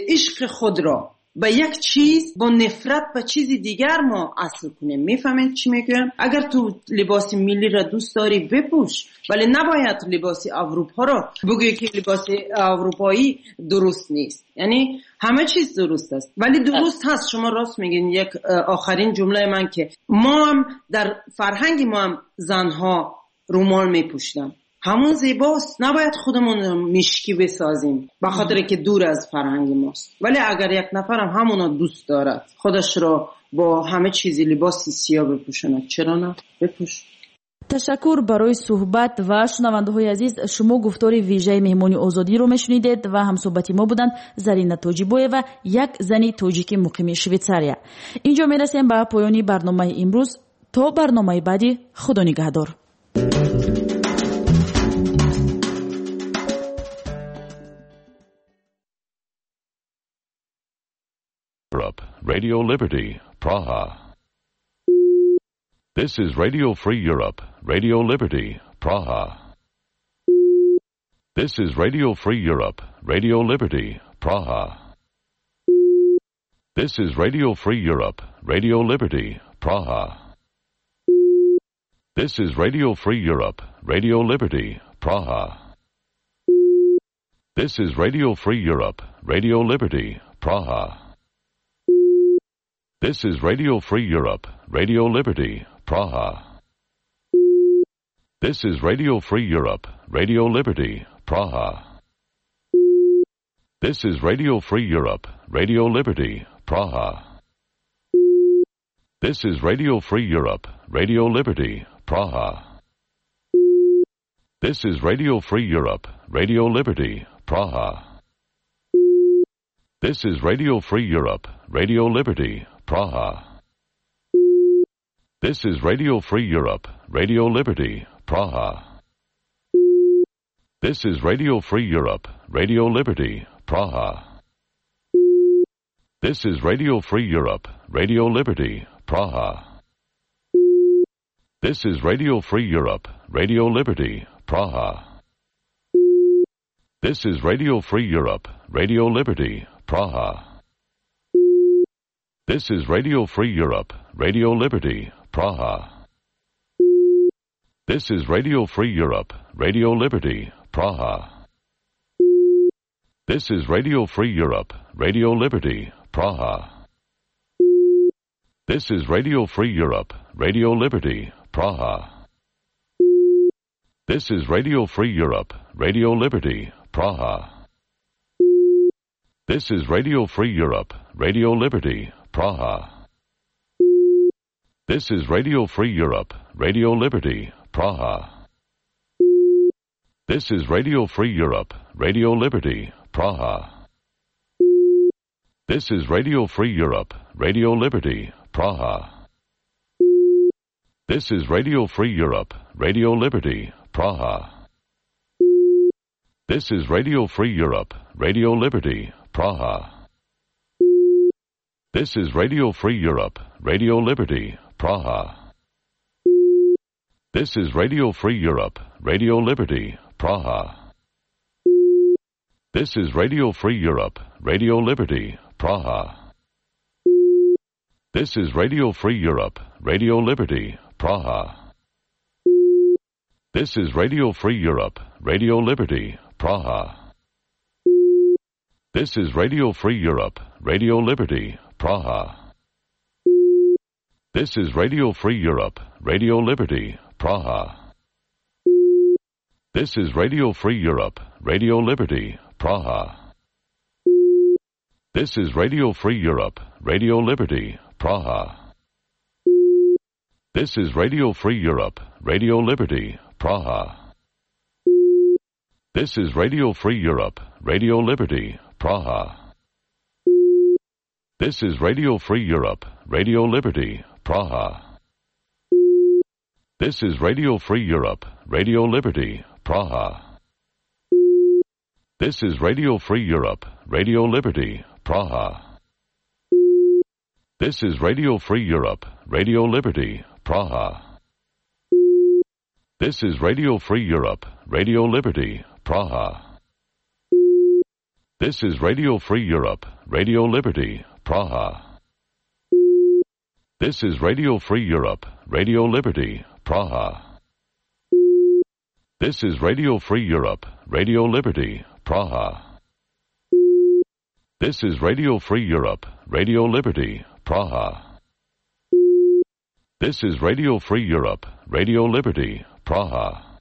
[SPEAKER 12] عشق خود را به یک چیز با نفرت به چیزی دیگر ما اصل کنیم؟ میفهمید چی میگم؟ اگر تو لباس ملی را دوست داری بپوش، ولی نباید لباس اروپا را بگویی که لباس اروپایی درست نیست. یعنی همه چیز درست است، ولی درست هست. شما راست میگین. یک آخرین جمله من که ما هم در فرهنگ ما هم زنها رومال میپوشیدن، همون زیباست، نباید خودمون مشکی بسازیم به خاطر که دور از فرهنگ ماست. ولی اگر یک نفرم همونا دوست دارد خودش را با همه چیزی لباس سیاه بپوشاند، چرا نه؟ بپوش.
[SPEAKER 9] Ташаккур барои суҳбат ва шунавандаҳои азиз, шумо гуфтори вижаи меҳмони Озодиро мешунидед ва ҳамсӯҳбати мо буданд Зарина Тоҷибоева, як зани тоҷики муқими Швейтсария. Инҷо мерасем ба поёни барномаи имрӯз. То барномаи баъдӣ, Худо нигаҳдор.
[SPEAKER 13] Radio Liberty, Praha. This is Radio Free Europe, Radio Liberty, Praha. This is Radio Free Europe, Radio Liberty, Praha. This is Radio Free Europe, Radio Liberty, Praha. This is Radio Free Europe, Radio Liberty, Praha. This is Radio Free Europe, Radio Liberty, Praha. This is Radio Free Europe, Radio Liberty, Praha. This is Radio Free Europe, Radio Liberty, Praha. This is Radio Free Europe, Radio Liberty, Praha. This is Radio Free Europe, Radio Liberty, Praha. This is Radio Free Europe, Radio Liberty, Praha. This is Radio Free Europe, Radio Liberty, Praha. This is Radio Free Europe, Radio Liberty, Praha. This is Radio Free Europe, Radio Liberty, Praha. This is Radio Free Europe, Radio Liberty, Praha. This is Radio Free Europe, Radio Liberty, Praha. This is Radio Free Europe, Radio Liberty, Praha. This is Radio Free Europe, Radio Liberty, Praha. This is Radio Free Europe, Radio Liberty, Praha. This is Radio Free Europe, Radio Liberty, Praha. This is Radio Free Europe, Radio Liberty, Praha. This is Radio Free Europe, Radio Liberty, Praha. This is Radio Free Europe, Radio Liberty, Praha. This is Radio Free Europe, Radio Liberty, Praha. This is Radio Free Europe, Radio Liberty, Praha. This is Radio Free Europe, Radio Liberty, Praha. This is Radio Free Europe, Radio Liberty, Praha. This is Radio Free Europe, Radio Liberty, Praha. This is Radio Free Europe, Radio Liberty, Praha. This is Radio Free Europe, Radio Liberty, Praha. This is Radio Free Europe, Radio Liberty, Praha. This is Radio Free Europe, Radio Liberty, Praha. This is Radio Free Europe, Radio Liberty, Praha. This is Radio Free Europe, Radio Liberty, Praha. This is Radio Free Europe, Radio Liberty, Praha. This is Radio Free Europe, Radio Liberty, Praha. This is Radio Free Europe, Radio Liberty, Praha. This is Radio Free Europe, Radio Liberty, Praha. This is Radio Free Europe, Radio Liberty, Praha. This is Radio Free Europe, Radio Liberty, Praha. This is Radio Free Europe, Radio Liberty, Praha. This is Radio Free Europe, Radio Liberty, Praha. This is Radio Free Europe, Radio Liberty, Praha. This is Radio Free Europe, Radio Liberty, Praha. This is Radio Free Europe, Radio Liberty, Praha. This is Radio Free Europe, Radio Liberty, Praha. This is Radio Free Europe, Radio Liberty, Praha. This is Radio Free Europe, Radio Liberty, Praha. This is Radio Free Europe, Radio Liberty, Praha.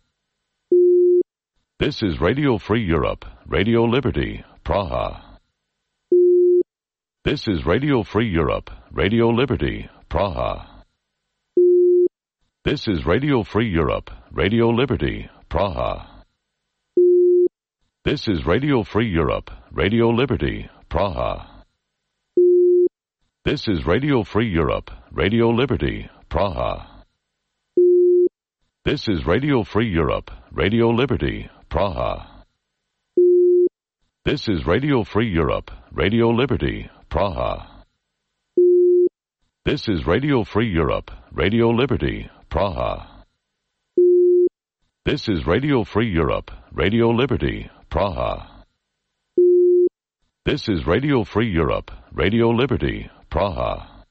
[SPEAKER 13] This is Radio Free Europe, Radio Liberty, Praha. This is Radio Free Europe, Radio Liberty, Praha. This is Radio Free Europe, Radio Liberty, Praha. This is Radio Free Europe, Radio Liberty, Praha. This is Radio Free Europe, Radio Liberty, Praha. This is Radio Free Europe, Radio Liberty, Praha. This is Radio Free Europe, Radio Liberty, Praha. This is Radio Free Europe, Radio Liberty, Praha. This is Radio Free Europe, Radio Liberty, Praha. This is Radio Free Europe, Radio Liberty, Praha.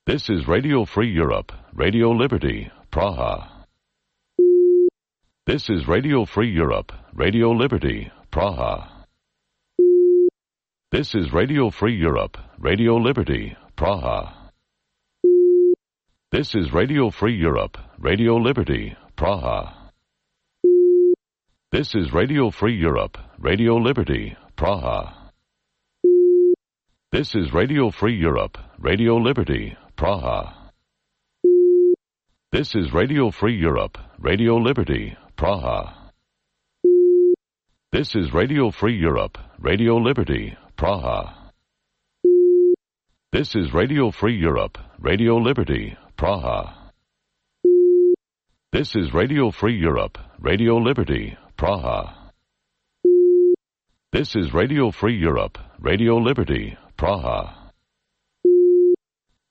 [SPEAKER 13] This is Radio Free Europe, Radio Liberty, Praha. This is Radio Free Europe, Radio Liberty, Praha. This is Radio Free Europe, Radio Liberty, Praha. This is Radio Free Europe, Radio Liberty, Praha. This is Radio Free Europe, Radio Liberty, Praha. This is Radio Free Europe, Radio Liberty, Praha. This is Radio Free Europe, Radio Liberty, Praha. This is Radio Free Europe, Radio Liberty, Praha. This is Radio Free Europe, Radio Liberty, Praha. This is Radio Free Europe, Radio Liberty, Praha. This is Radio Free Europe, Radio Liberty, Praha.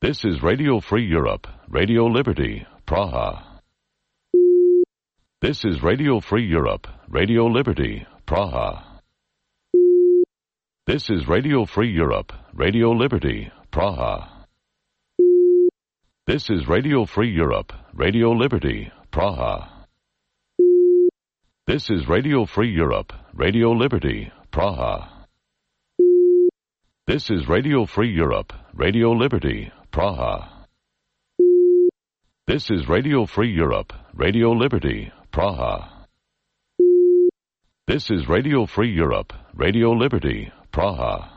[SPEAKER 13] This is Radio Free Europe, Radio Liberty, Praha. This is Radio Free Europe, Radio Liberty, Praha. This is Radio Free Europe, Radio Liberty, Praha. This is Radio Free Europe, Radio Liberty, Praha. This is Radio Free Europe, Radio Liberty, Praha. This is Radio Free Europe, Radio Liberty, Praha. This is Radio Free Europe, Radio Liberty, Praha. This is Radio Free Europe, Radio Liberty, Praha.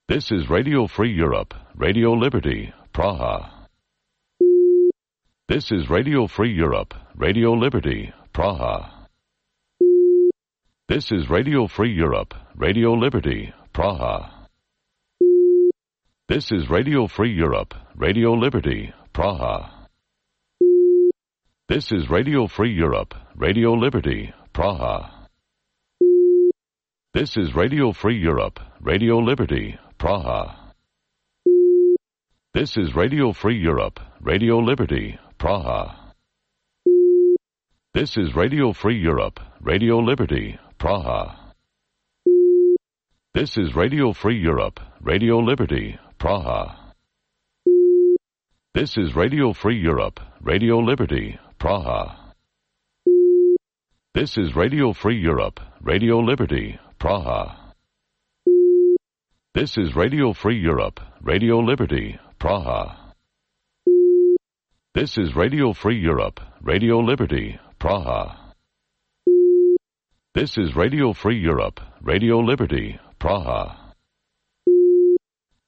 [SPEAKER 13] This is Radio Free Europe, Radio Liberty, Praha. This is Radio Free Europe, Radio Liberty, Praha. This is Radio Free Europe, Radio Liberty, Praha. This is Radio Free Europe, Radio Liberty, Praha. This is Radio Free Europe, Radio Liberty, Praha. This is Radio Free Europe, Radio Liberty, Praha. This is Radio Free Europe, Radio Liberty, Praha. This is Radio Free Europe, Radio Liberty, Praha. This is Radio Free Europe, Radio Liberty, Praha. This is Radio Free Europe, Radio Liberty, Praha. This is Radio Free Europe, Radio Liberty, Praha. This is Radio Free Europe, Radio Liberty, Praha. This is Radio Free Europe, Radio Liberty, Praha. This is Radio Free Europe, Radio Liberty, Praha.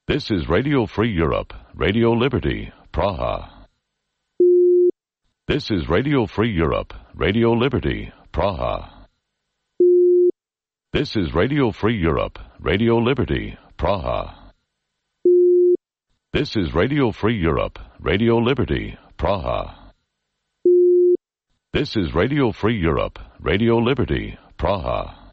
[SPEAKER 13] This is Radio Free Europe, Radio Liberty, Praha. This is Radio Free Europe, Radio Liberty, Praha. This is Radio Free Europe, Radio Liberty, Praha. This is Radio Free Europe, Radio Liberty, Praha. This is Radio Free Europe, Radio Liberty, Praha.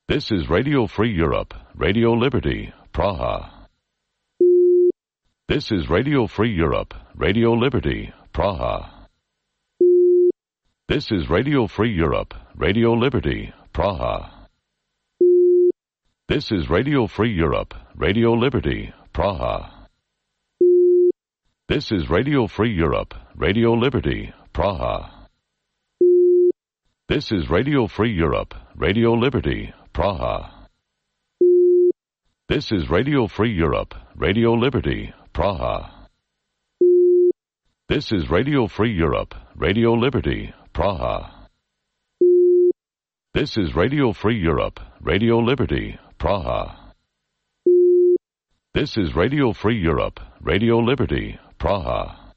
[SPEAKER 13] This is Radio Free Europe, Radio Liberty, Praha. This is Radio Free Europe, Radio Liberty, Praha. This is Radio Free Europe, Radio Liberty, Praha. This is Radio Free Europe, Radio Liberty, Praha. This is Radio Free Europe, Radio Liberty, Praha. This is Radio Free Europe, Radio Liberty, Praha. This is Radio Free Europe, Radio Liberty, Praha. This is Radio Free Europe, Radio Liberty, Praha. This is Radio Free Europe, Radio Liberty, Praha. This is Radio Free Europe, Radio Liberty, Praha.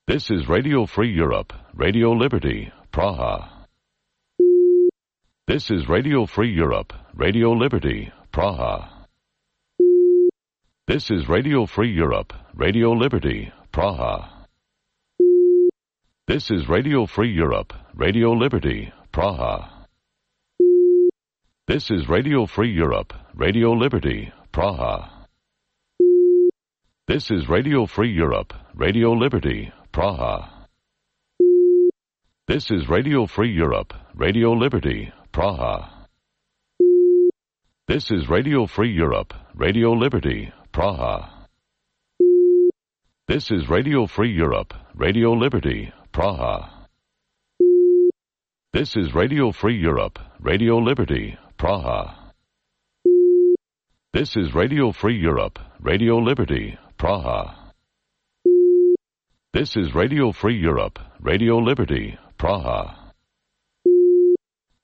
[SPEAKER 13] This is Radio Free Europe, Radio Liberty, Praha. This is Radio Free Europe, Radio Liberty, Praha. This is Radio Free Europe, Radio Liberty, Praha. This is Radio Free Europe, Radio Liberty, Praha. This is Radio Free Europe, Radio Liberty, Praha. This is Radio Free Europe, Radio Liberty, Praha. This is Radio Free Europe, Radio Liberty, Praha. This is Radio Free Europe, Radio Liberty, Praha. This is Radio Free Europe, Radio Liberty, Praha. This is Radio Free Europe, Radio Liberty, Praha. This is Radio Free Europe, Radio Liberty, Praha. This is Radio Free Europe, Radio Liberty, Praha.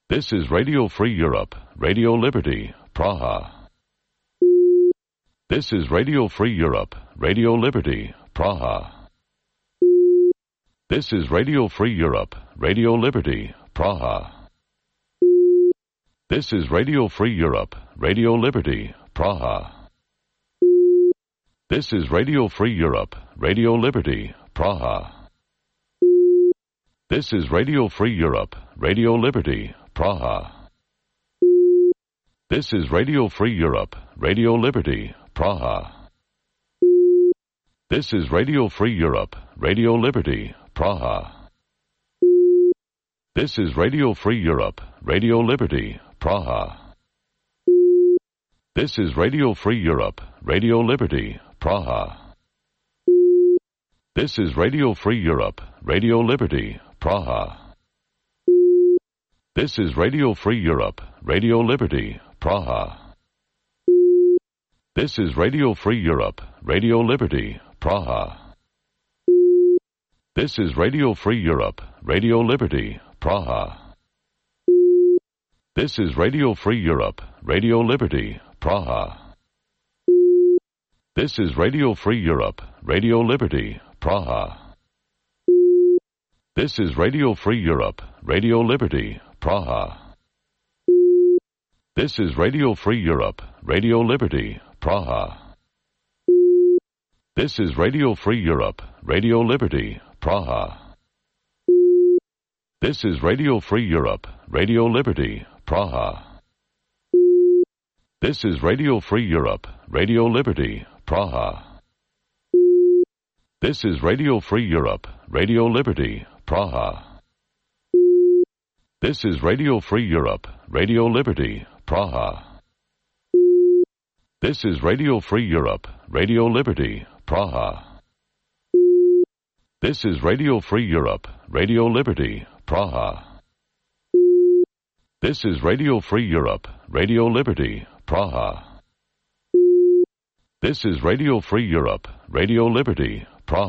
[SPEAKER 13] This is Radio Free Europe, Radio Liberty, Praha. This is Radio Free Europe, Radio Liberty, Praha. This is Radio Free Europe, Radio Liberty, Praha. This is Radio Free Europe, Radio Liberty, Praha. This is Radio Free Europe, Radio Liberty, Praha. This is Radio Free Europe, Radio Liberty, Praha. This is Radio Free Europe, Radio Liberty, Praha. This is Radio Free Europe, Radio Liberty, Praha. This is Radio Free Europe, Radio Liberty, Praha. This is Radio Free Europe, Radio Liberty, Praha. This is Radio Free Europe, Radio Liberty, Praha. This is Radio Free Europe, Radio Liberty, Praha. This is Radio Free Europe, Radio Liberty, Praha. This is Radio Free Europe, Radio Liberty, Praha. This is Radio Free Europe, Radio Liberty, Praha. This is Radio Free Europe, Radio Liberty, Praha. This is Radio Free Europe, Radio Liberty, Praha. This is Radio Free Europe, Radio Liberty, Praha. This is Radio Free Europe, Radio Liberty, Praha. This is Radio Free Europe, Radio Liberty, Praha. This is Radio Free Europe, Radio Liberty, Praha. This is Radio Free Europe, Radio Liberty, Praha. This is Radio Free Europe, Radio Liberty, Praha. This is Radio Free Europe, Radio Liberty, Praha. This is Radio Free Europe, Radio Liberty, Praha. This is Radio Free Europe, Radio Liberty, Praha. This is Radio Free Europe, Radio Liberty, Praha.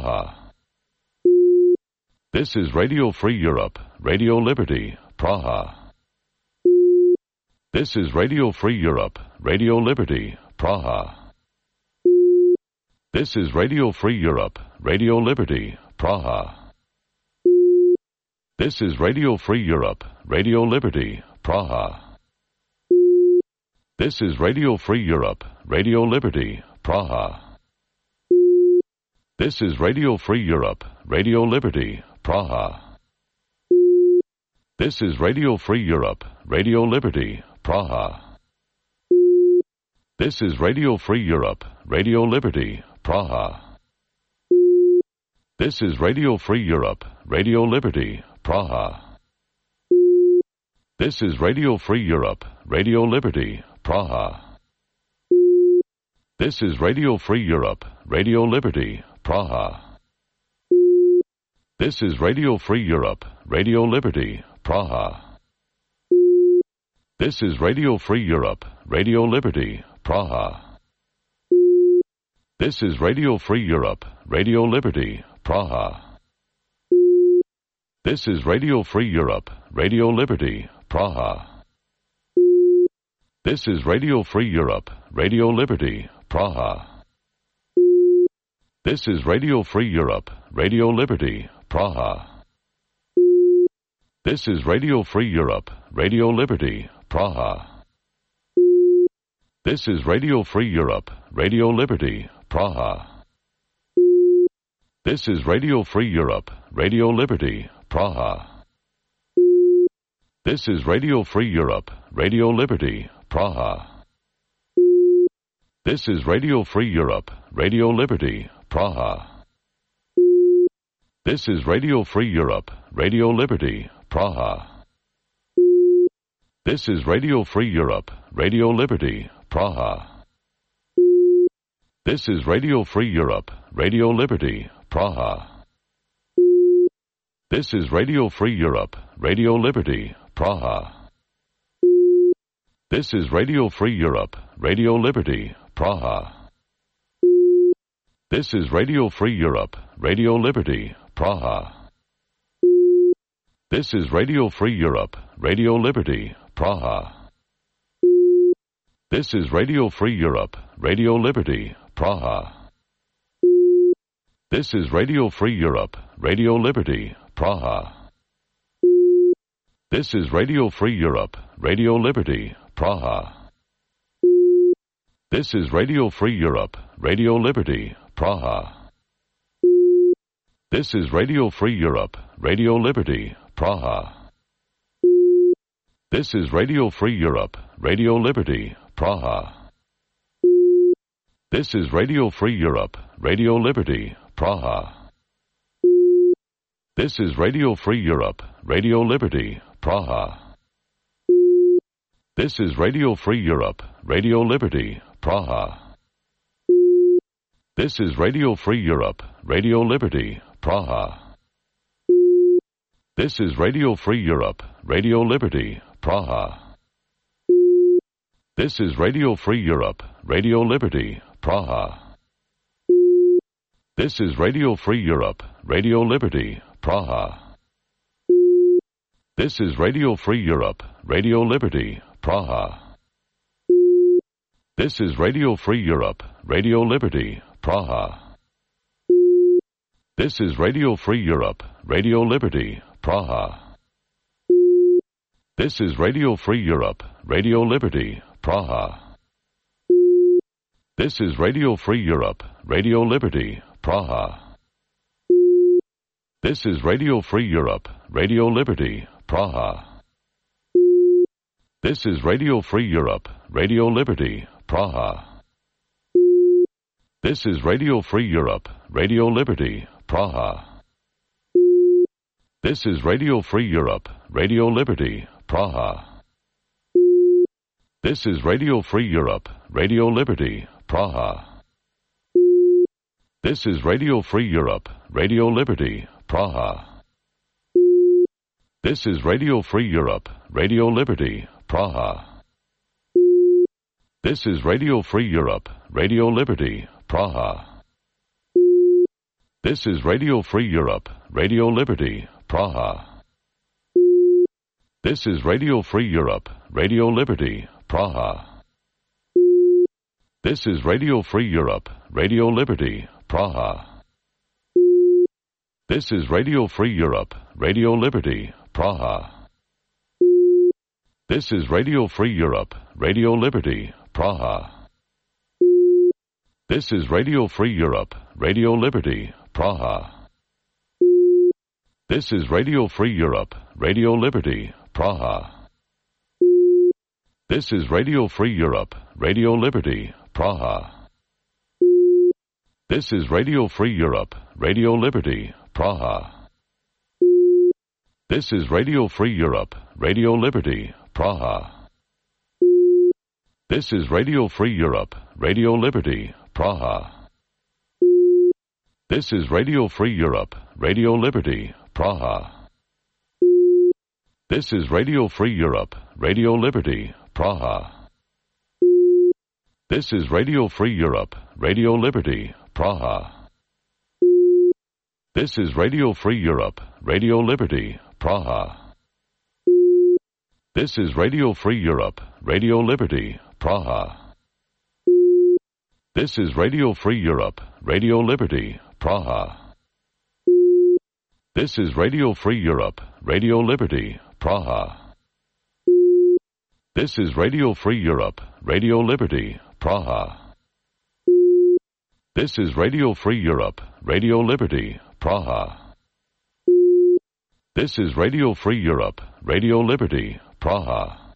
[SPEAKER 13] This is Radio Free Europe, Radio Liberty, Praha. This is Radio Free Europe, Radio Liberty, Praha. This is Radio Free Europe, Radio Liberty, Praha. This is Radio Free Europe, Radio Liberty, Praha. This is Radio Free Europe, Radio Liberty, Praha. This is Radio Free Europe, Radio Liberty, Praha. This is Radio Free Europe, Radio Liberty, Praha. This is Radio Free Europe, Radio Liberty, Praha. This is Radio Free Europe, Radio Liberty, Praha. This is Radio Free Europe, Radio Liberty, Praha. This is Radio Free Europe, Radio Liberty, Praha. This is Radio Free Europe, Radio Liberty, Praha. This is Radio Free Europe, Radio Liberty, Praha. This is Radio Free Europe, Radio Liberty, Praha. This is Radio Free Europe, Radio Liberty, Praha. This is Radio Free Europe, Radio Liberty, Praha. This is Radio Free Europe, Radio Liberty, Praha. This is Radio Free Europe, Radio Liberty, Praha. This is Radio Free Europe, Radio Liberty, Praha. This is Radio Free Europe, Radio Liberty, Praha. This is Radio Free Europe, Radio Liberty, Praha. This is Radio Free Europe, Radio Liberty, Praha. This is Radio Free Europe, Radio Liberty, Praha. This is Radio Free Europe, Radio Liberty, Praha. This is Radio Free Europe, Radio Liberty, Praha. This is Radio Free Europe, Radio Liberty, Praha. This is Radio Free Europe, Radio Liberty, Praha. This is Radio Free Europe, Radio Liberty, Praha. This is Radio Free Europe, Radio Liberty, Praha. This is Radio Free Europe, Radio Liberty, Praha. This is Radio Free Europe, Radio Liberty, Praha. This is Radio Free Europe, Radio Liberty, Praha. This is Radio Free Europe, Radio Liberty, Praha. This is Radio Free Europe, Radio Liberty, Praha. This is Radio Free Europe, Radio Liberty, Praha. This is Radio Free Europe, Radio Liberty, Praha. This is Radio Free Europe, Radio Liberty, Praha. This is Radio Free Europe, Radio Liberty, Praha. This is Radio Free Europe, Radio Liberty, Praha. This is Radio Free Europe, Radio Liberty, Praha. This is Radio Free Europe, Radio Liberty, Praha. This is Radio Free Europe, Radio Liberty, Praha. This is Radio Free Europe, Radio Liberty, Praha. This is Radio Free Europe, Radio Liberty, Praha. This is Radio Free Europe, Radio Liberty, Praha. This is Radio Free Europe, Radio Liberty, Praha. This is Radio Free Europe, Radio Liberty, Praha. This is Radio Free Europe, Radio Liberty, Praha. This is Radio Free Europe, Radio Liberty, Praha. This is Radio Free Europe, Radio Liberty, Praha. This is Radio Free Europe, Radio Liberty, Praha. This is Radio Free Europe, Radio Liberty, Praha. This is Radio Free Europe, Radio Liberty, Praha. This is Radio Free Europe, Radio Liberty, Praha. This is Radio Free Europe, Radio Liberty, Praha. This is Radio Free Europe, Radio Liberty, Praha. This is Radio Free Europe, Radio Liberty, Praha. This is Radio Free Europe, Radio Liberty, Praha. This is Radio Free Europe, Radio Liberty, Praha. This is Radio Free Europe, Radio Liberty, Praha. This is Radio Free Europe, Radio Liberty, Praha. This is Radio Free Europe, Radio Liberty, Praha. This is Radio Free Europe, Radio Liberty, Praha. This is Radio Free Europe, Radio Liberty, Praha. This is Radio Free Europe, Radio Liberty, Praha. This is Radio Free Europe, Radio Liberty, Praha. This is Radio Free Europe, Radio Liberty, Praha. This is Radio Free Europe, Radio Liberty, Praha. This is Radio Free Europe, Radio Liberty, Praha. This is Radio Free Europe, Radio Liberty, Praha. This is Radio Free Europe, Radio Liberty, Praha. This is Radio Free Europe, Radio Liberty, Praha. This is Radio Free Europe, Radio Liberty, Praha. This is Radio Free Europe, Radio Liberty, Praha. This is Radio Free Europe, Radio Liberty, Praha. This is Radio Free Europe, Radio Liberty, Praha.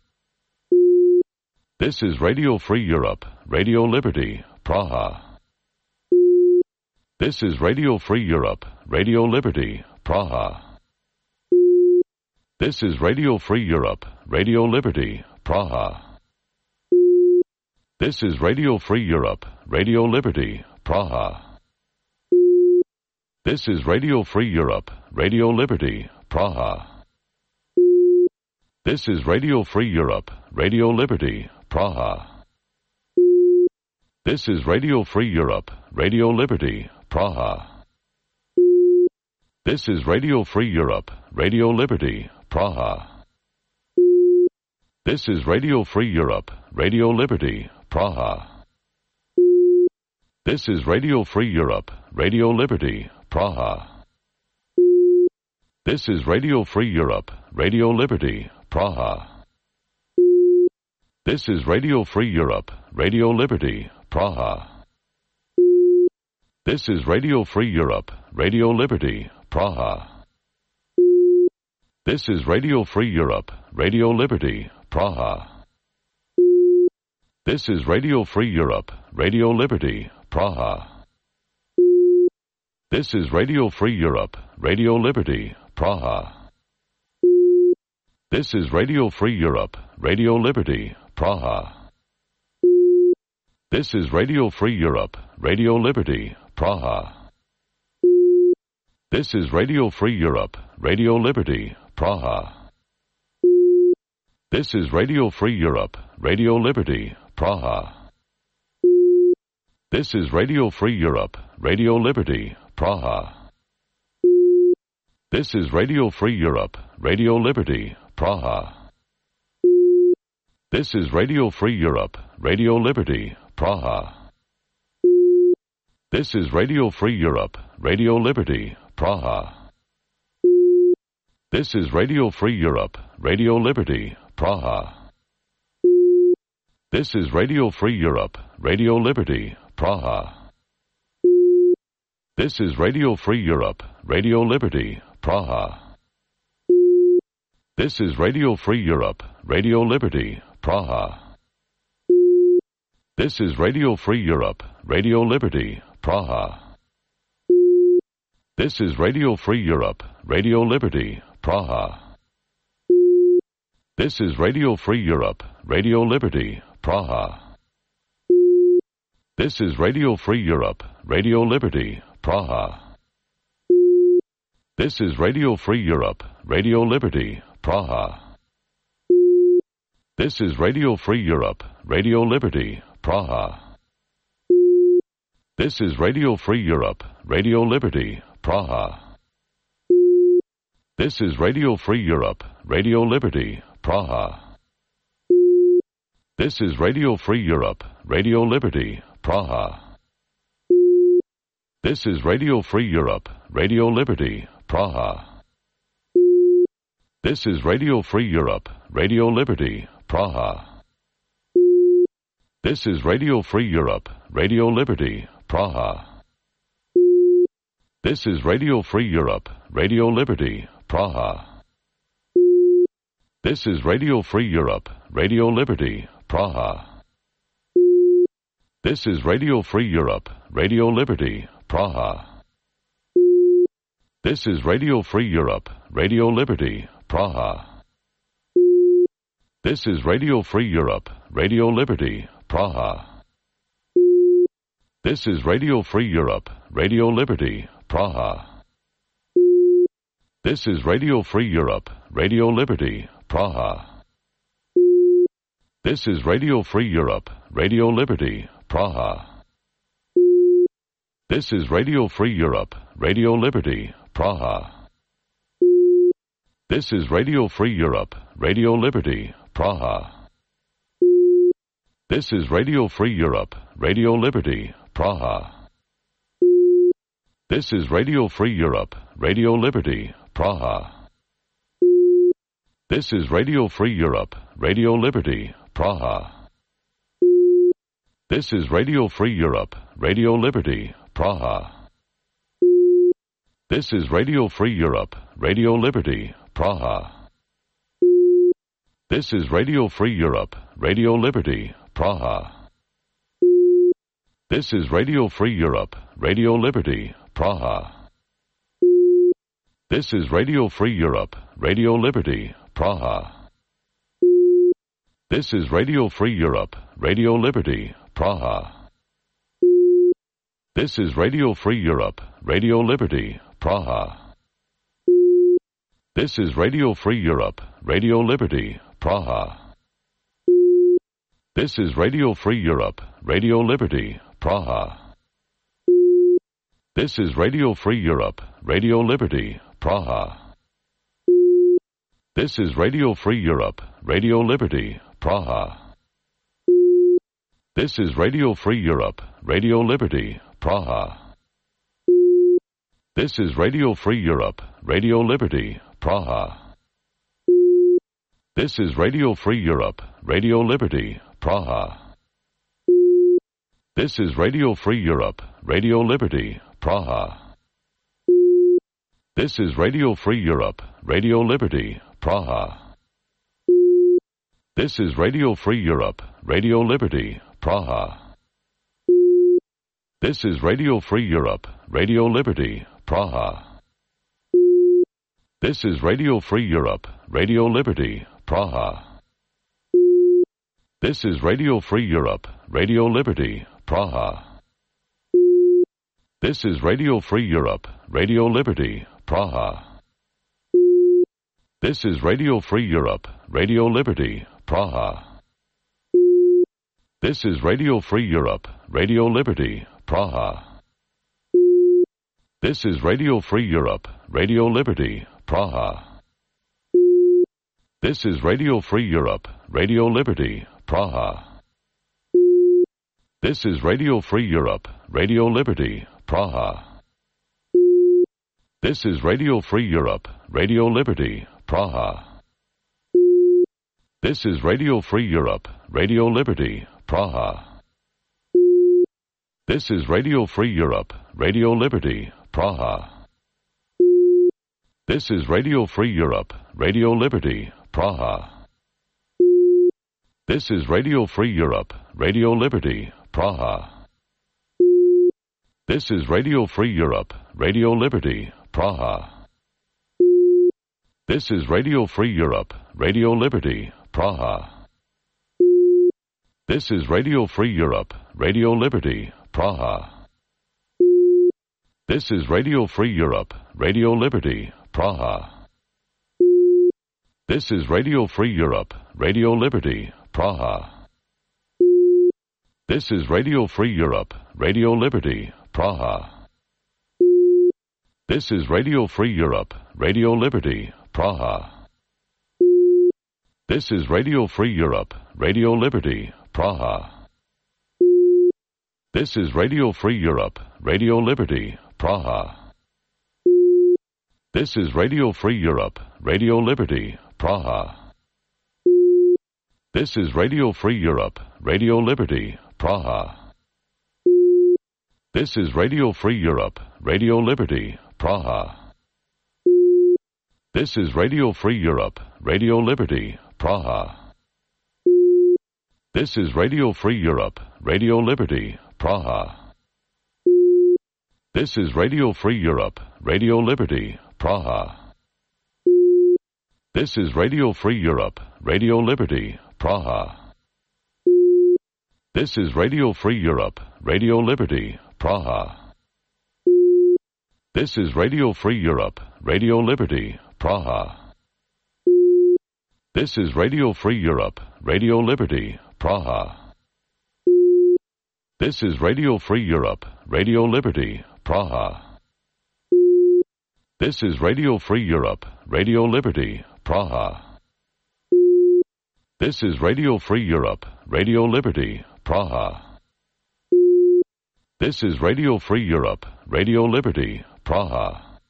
[SPEAKER 13] This is Radio Free Europe, Radio Liberty, Praha. This is Radio Free Europe, Radio Liberty, Praha. This is Radio Free Europe, Radio Liberty, Praha. This is Radio Free Europe, Radio Liberty, Praha. This is Radio Free Europe, Radio Liberty, Praha. This is Radio Free Europe, Radio Liberty, Praha. This is Radio Free Europe, Radio Liberty, Praha. This is Radio Free Europe, Radio Liberty, Praha. This is Radio Free Europe, Radio Liberty, Praha. This is Radio Free Europe, Radio Liberty, Praha. This is Radio Free Europe, Radio Liberty, Praha. This is Radio Free Europe, Radio Liberty, Praha. This is Radio Free Europe, Radio Liberty, Praha. This is Radio Free Europe, Radio Liberty, Praha. This is Radio Free Europe, Radio Liberty, Praha. This is Radio Free Europe, Radio Liberty, Praha. This is Radio Free Europe, Radio Liberty, Praha. This is Radio Free Europe, Radio Liberty, Praha. This is Radio Free Europe, Radio Liberty, Praha. This is Radio Free Europe, Radio Liberty, Praha. This is Radio Free Europe, Radio Liberty, Praha. This is Radio Free Europe, Radio Liberty, Praha. This is Radio Free Europe, Radio Liberty, Praha. This is Radio Free Europe, Radio Liberty, Praha. This is Radio Free Europe, Radio Liberty, Praha. This is Radio Free Europe, Radio Liberty, Praha. This is Radio Free Europe, Radio Liberty, Praha. This is Radio Free Europe, Radio Liberty, Praha. This is Radio Free Europe, Radio Liberty, Praha. This is Radio Free Europe, Radio Liberty, Praha. This is Radio Free Europe, Radio Liberty, Praha. This is Radio Free Europe, Radio Liberty, Praha. This is Radio Free Europe, Radio Liberty, Praha. This is Radio Free Europe, Radio Liberty, Praha. This is Radio Free Europe, Radio Liberty, Praha. This is Radio Free Europe, Radio Liberty, Praha. This is Radio Free Europe, Radio Liberty, Praha. This is Radio Free Europe, Radio Liberty, Praha. This is Radio Free Europe, Radio Liberty, Praha. This is Radio Free Europe, Radio Liberty, Praha. This is Radio Free Europe, Radio Liberty, Praha. This is Radio Free Europe, Radio Liberty, Praha. This is Radio Free Europe, Radio Liberty, Praha. This is Radio Free Europe, Radio Liberty, Praha. This is Radio Free Europe, Radio Liberty, Praha. This is Radio Free Europe, Radio Liberty, Praha. This is Radio Free Europe, Radio Liberty, Praha. This is Radio Free Europe, Radio Liberty, Praha. This is Radio Free Europe, Radio Liberty, Praha. This is Radio Free Europe, Radio Liberty, Praha. This is Radio Free Europe, Radio Liberty, Praha. This is Radio Free Europe, Radio Liberty, Praha. This is Radio Free Europe, Radio Liberty, Praha. This is Radio Free Europe, Radio Liberty, Praha. This is Radio Free Europe, Radio Liberty, Praha. This is Radio Free Europe, Radio Liberty, Praha. This is Radio Free Europe, Radio Liberty, Praha. This is Radio Free Europe, Radio Liberty, Praha. This is Radio Free Europe, Radio Liberty, Praha. This is Radio Free Europe, Radio Liberty, Praha. This is Radio Free Europe, Radio Liberty, Praha. This is Radio Free Europe, Radio Liberty, Praha. This is Radio Free Europe, Radio Liberty, Praha. This is Radio Free Europe, Radio Liberty, Praha. This is Radio Free Europe, Radio Liberty, Praha. This is Radio Free Europe, Radio Liberty, Praha. This is Radio Free Europe, Radio Liberty, Praha. This is Radio Free Europe, Radio Liberty, Praha. This is Radio Free Europe, Radio Liberty, Praha. This is Radio Free Europe, Radio Liberty, Praha. This is Radio Free Europe, Radio Liberty, Praha. This is Radio Free Europe, Radio Liberty, Praha. This is Radio Free Europe, Radio Liberty, Praha. This is Radio Free Europe, Radio Liberty, Praha. This is Radio Free Europe, Radio Liberty, Praha. This is Radio Free Europe, Radio Liberty, Praha. This is Radio Free Europe, Radio Liberty, Praha. This is Radio Free Europe, Radio Liberty, Praha. This is Radio Free Europe, Radio Liberty, Praha. This is Radio Free Europe, Radio Liberty, Praha. This is Radio Free Europe, Radio Liberty, Praha. This is Radio Free Europe, Radio Liberty, Praha. This is Radio Free Europe, Radio Liberty, Praha. This is Radio Free Europe, Radio Liberty, Praha. This is Radio Free Europe, Radio Liberty, Praha. This is Radio Free Europe, Radio Liberty, Praha. This is Radio Free Europe, Radio Liberty, Praha. This is Radio Free Europe, Radio Liberty, Praha. This is Radio Free Europe, Radio Liberty, Praha. This is Radio Free Europe, Radio Liberty, Praha. This is Radio Free Europe, Radio Liberty, Praha. This is Radio Free Europe, Radio Liberty, Praha. This is Radio Free Europe, Radio Liberty, Praha. This is Radio Free Europe, Radio Liberty, Praha. This is Radio Free Europe, Radio Liberty, Praha. This is Radio Free Europe, Radio Liberty, Praha. This is Radio Free Europe, Radio Liberty, Praha. This is Radio Free Europe, Radio Liberty, Praha. This is Radio Free Europe, Radio Liberty, Praha. This is Radio Free Europe, Radio Liberty, Praha. This is Radio Free Europe, Radio Liberty, Praha. This is Radio Free Europe, Radio Liberty, Praha. This is Radio Free Europe, Radio Liberty, Praha. This is Radio Free Europe, Radio Liberty, Praha. This is Radio Free Europe, Radio Liberty, Praha. This is Radio Free Europe, Radio Liberty, Praha. This is Radio Free Europe, Radio Liberty, Praha.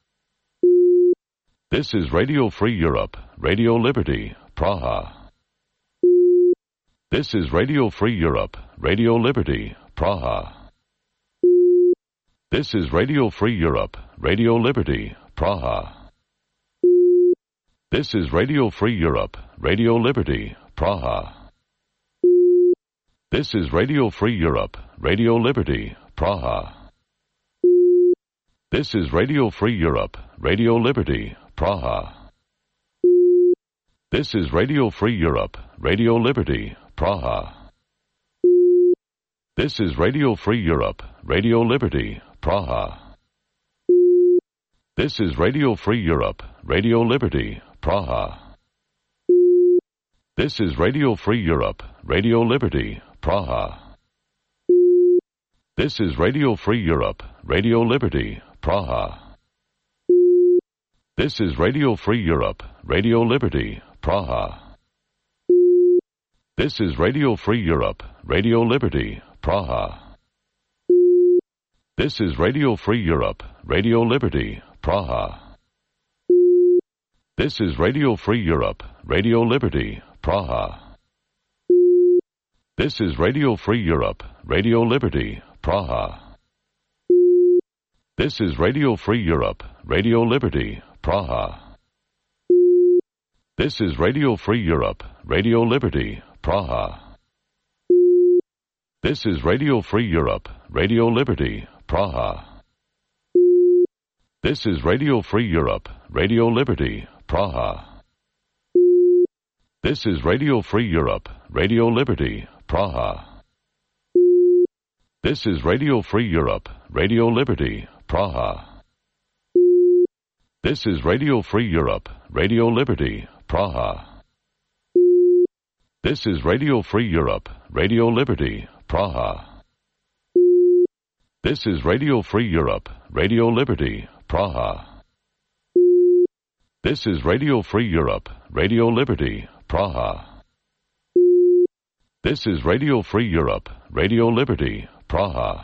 [SPEAKER 13] This is Radio Free Europe, Radio Liberty, Praha. This is Radio Free Europe, Radio Liberty, Praha. This is Radio Free Europe, Radio Liberty, Praha. This is Radio Free Europe, Radio Liberty, Praha. This is Radio Free Europe, Radio Liberty, Praha. This is Radio Free Europe, Radio Liberty, Praha. This is Radio Free Europe, Radio Liberty, Praha. This is Radio Free Europe, Radio Liberty, Praha. This is Radio Free Europe, Radio Liberty, Praha. This is Radio Free Europe, Radio Liberty, Praha. This is Radio Free Europe, Radio Liberty, Praha. This is Radio Free Europe, Radio Liberty, Praha. This is Radio Free Europe, Radio Liberty, Praha. This is Radio Free Europe, Radio Liberty, Praha. This is Radio Free Europe, Radio Liberty, Praha. This is Radio Free Europe, Radio Liberty, Praha. This is Radio Free Europe, Radio Liberty, Praha. This is Radio Free Europe, Radio Liberty, Praha. This is Radio Free Europe, Radio Liberty, Praha. This is Radio Free Europe, Radio Liberty, Praha. This is Radio Free Europe, Radio Liberty, Praha. This is Radio Free Europe, Radio Liberty, Praha. This is Radio Free Europe, Radio Liberty, Praha. This is Radio Free Europe, Radio Liberty, Praha. This is Radio Free Europe, Radio Liberty, Praha. This is Radio Free Europe, Radio Liberty, Praha. This is Radio Free Europe, Radio Liberty, Praha.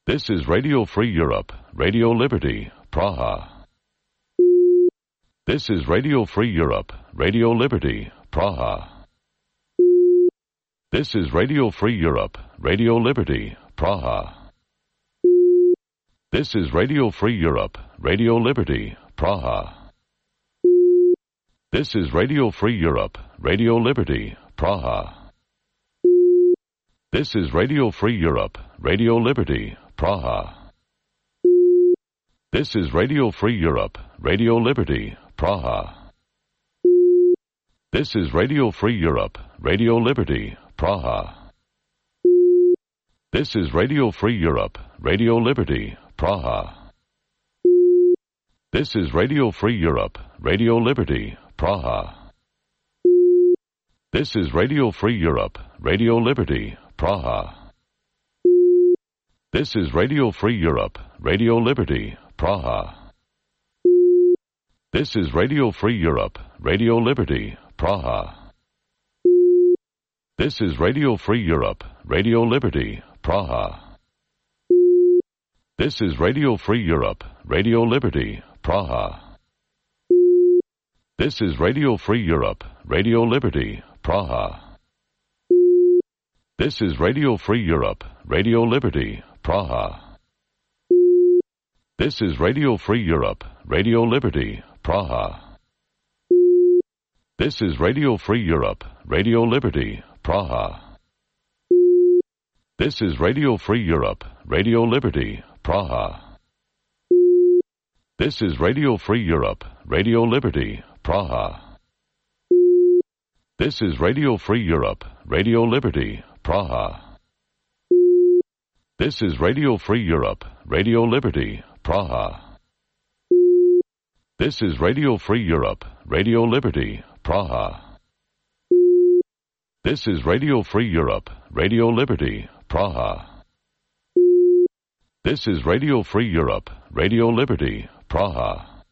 [SPEAKER 13] This is Radio Free Europe, Radio Liberty, Praha. This is Radio Free Europe, Radio Liberty, Praha. This is Radio Free Europe, Radio Liberty, Praha. This is Radio Free Europe, Radio Liberty, Praha. This is Radio Free Europe, Radio Liberty, Praha. This is Radio Free Europe, Radio Liberty, Praha. This is Radio Free Europe, Radio Liberty, Praha. This is Radio Free Europe, Radio Liberty, Praha. This is Radio Free Europe, Radio Liberty, Praha. This is Radio Free Europe, Radio Liberty, Praha. This is Radio Free Europe, Radio Liberty, Praha. This is Radio Free Europe, Radio Liberty, Praha. This is Radio Free Europe, Radio Liberty, Praha. This is Radio Free Europe, Radio Liberty, Praha. This is Radio Free Europe, Radio Liberty, Praha. This is Radio Free Europe, Radio Liberty, Praha. This is Radio Free Europe, Radio Liberty, Praha. This is Radio Free Europe, Radio Liberty, Praha. This is Radio Free Europe, Radio Liberty, Praha. This is Radio Free Europe, Radio Liberty, Praha. This is Radio Free Europe, Radio Liberty, Praha. This is Radio Free Europe, Radio Liberty, Praha. This is Radio Free Europe, Radio Liberty, Praha. This is Radio Free Europe, Radio Liberty, Praha. This is Radio Free Europe, Radio Liberty, Praha. This is Radio Free Europe, Radio Liberty, Praha.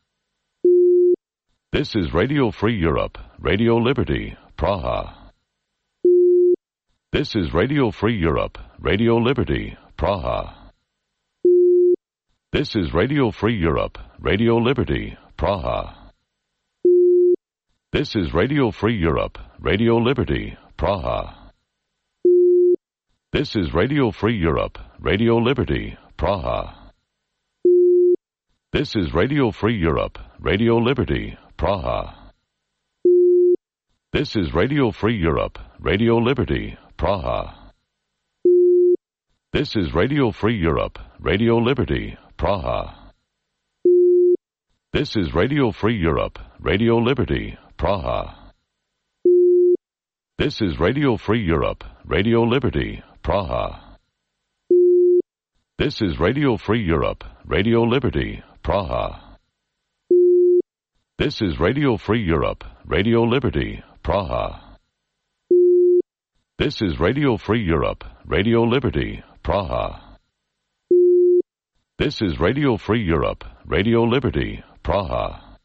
[SPEAKER 13] This is Radio Free Europe, Radio Liberty, Praha. This is Radio Free Europe, Radio Liberty, Praha. This is Radio Free Europe, Radio Liberty, Praha. This is Radio Free Europe, Radio Liberty, Praha. This is Radio Free Europe, Radio Liberty, Praha. This is Radio Free Europe, Radio Liberty, Praha. This is Radio Free Europe, Radio Liberty, Praha. This is Radio Free Europe, Radio Liberty, Praha. This is Radio Free Europe, Radio Liberty, Praha. This is Radio Free Europe, Radio Liberty, Praha. This is Radio Free Europe, Radio Liberty, Praha. This is Radio Free Europe, Radio Liberty, Praha. This is Radio Free Europe, Radio Liberty, Praha. This is Radio Free Europe, Radio Liberty, Praha.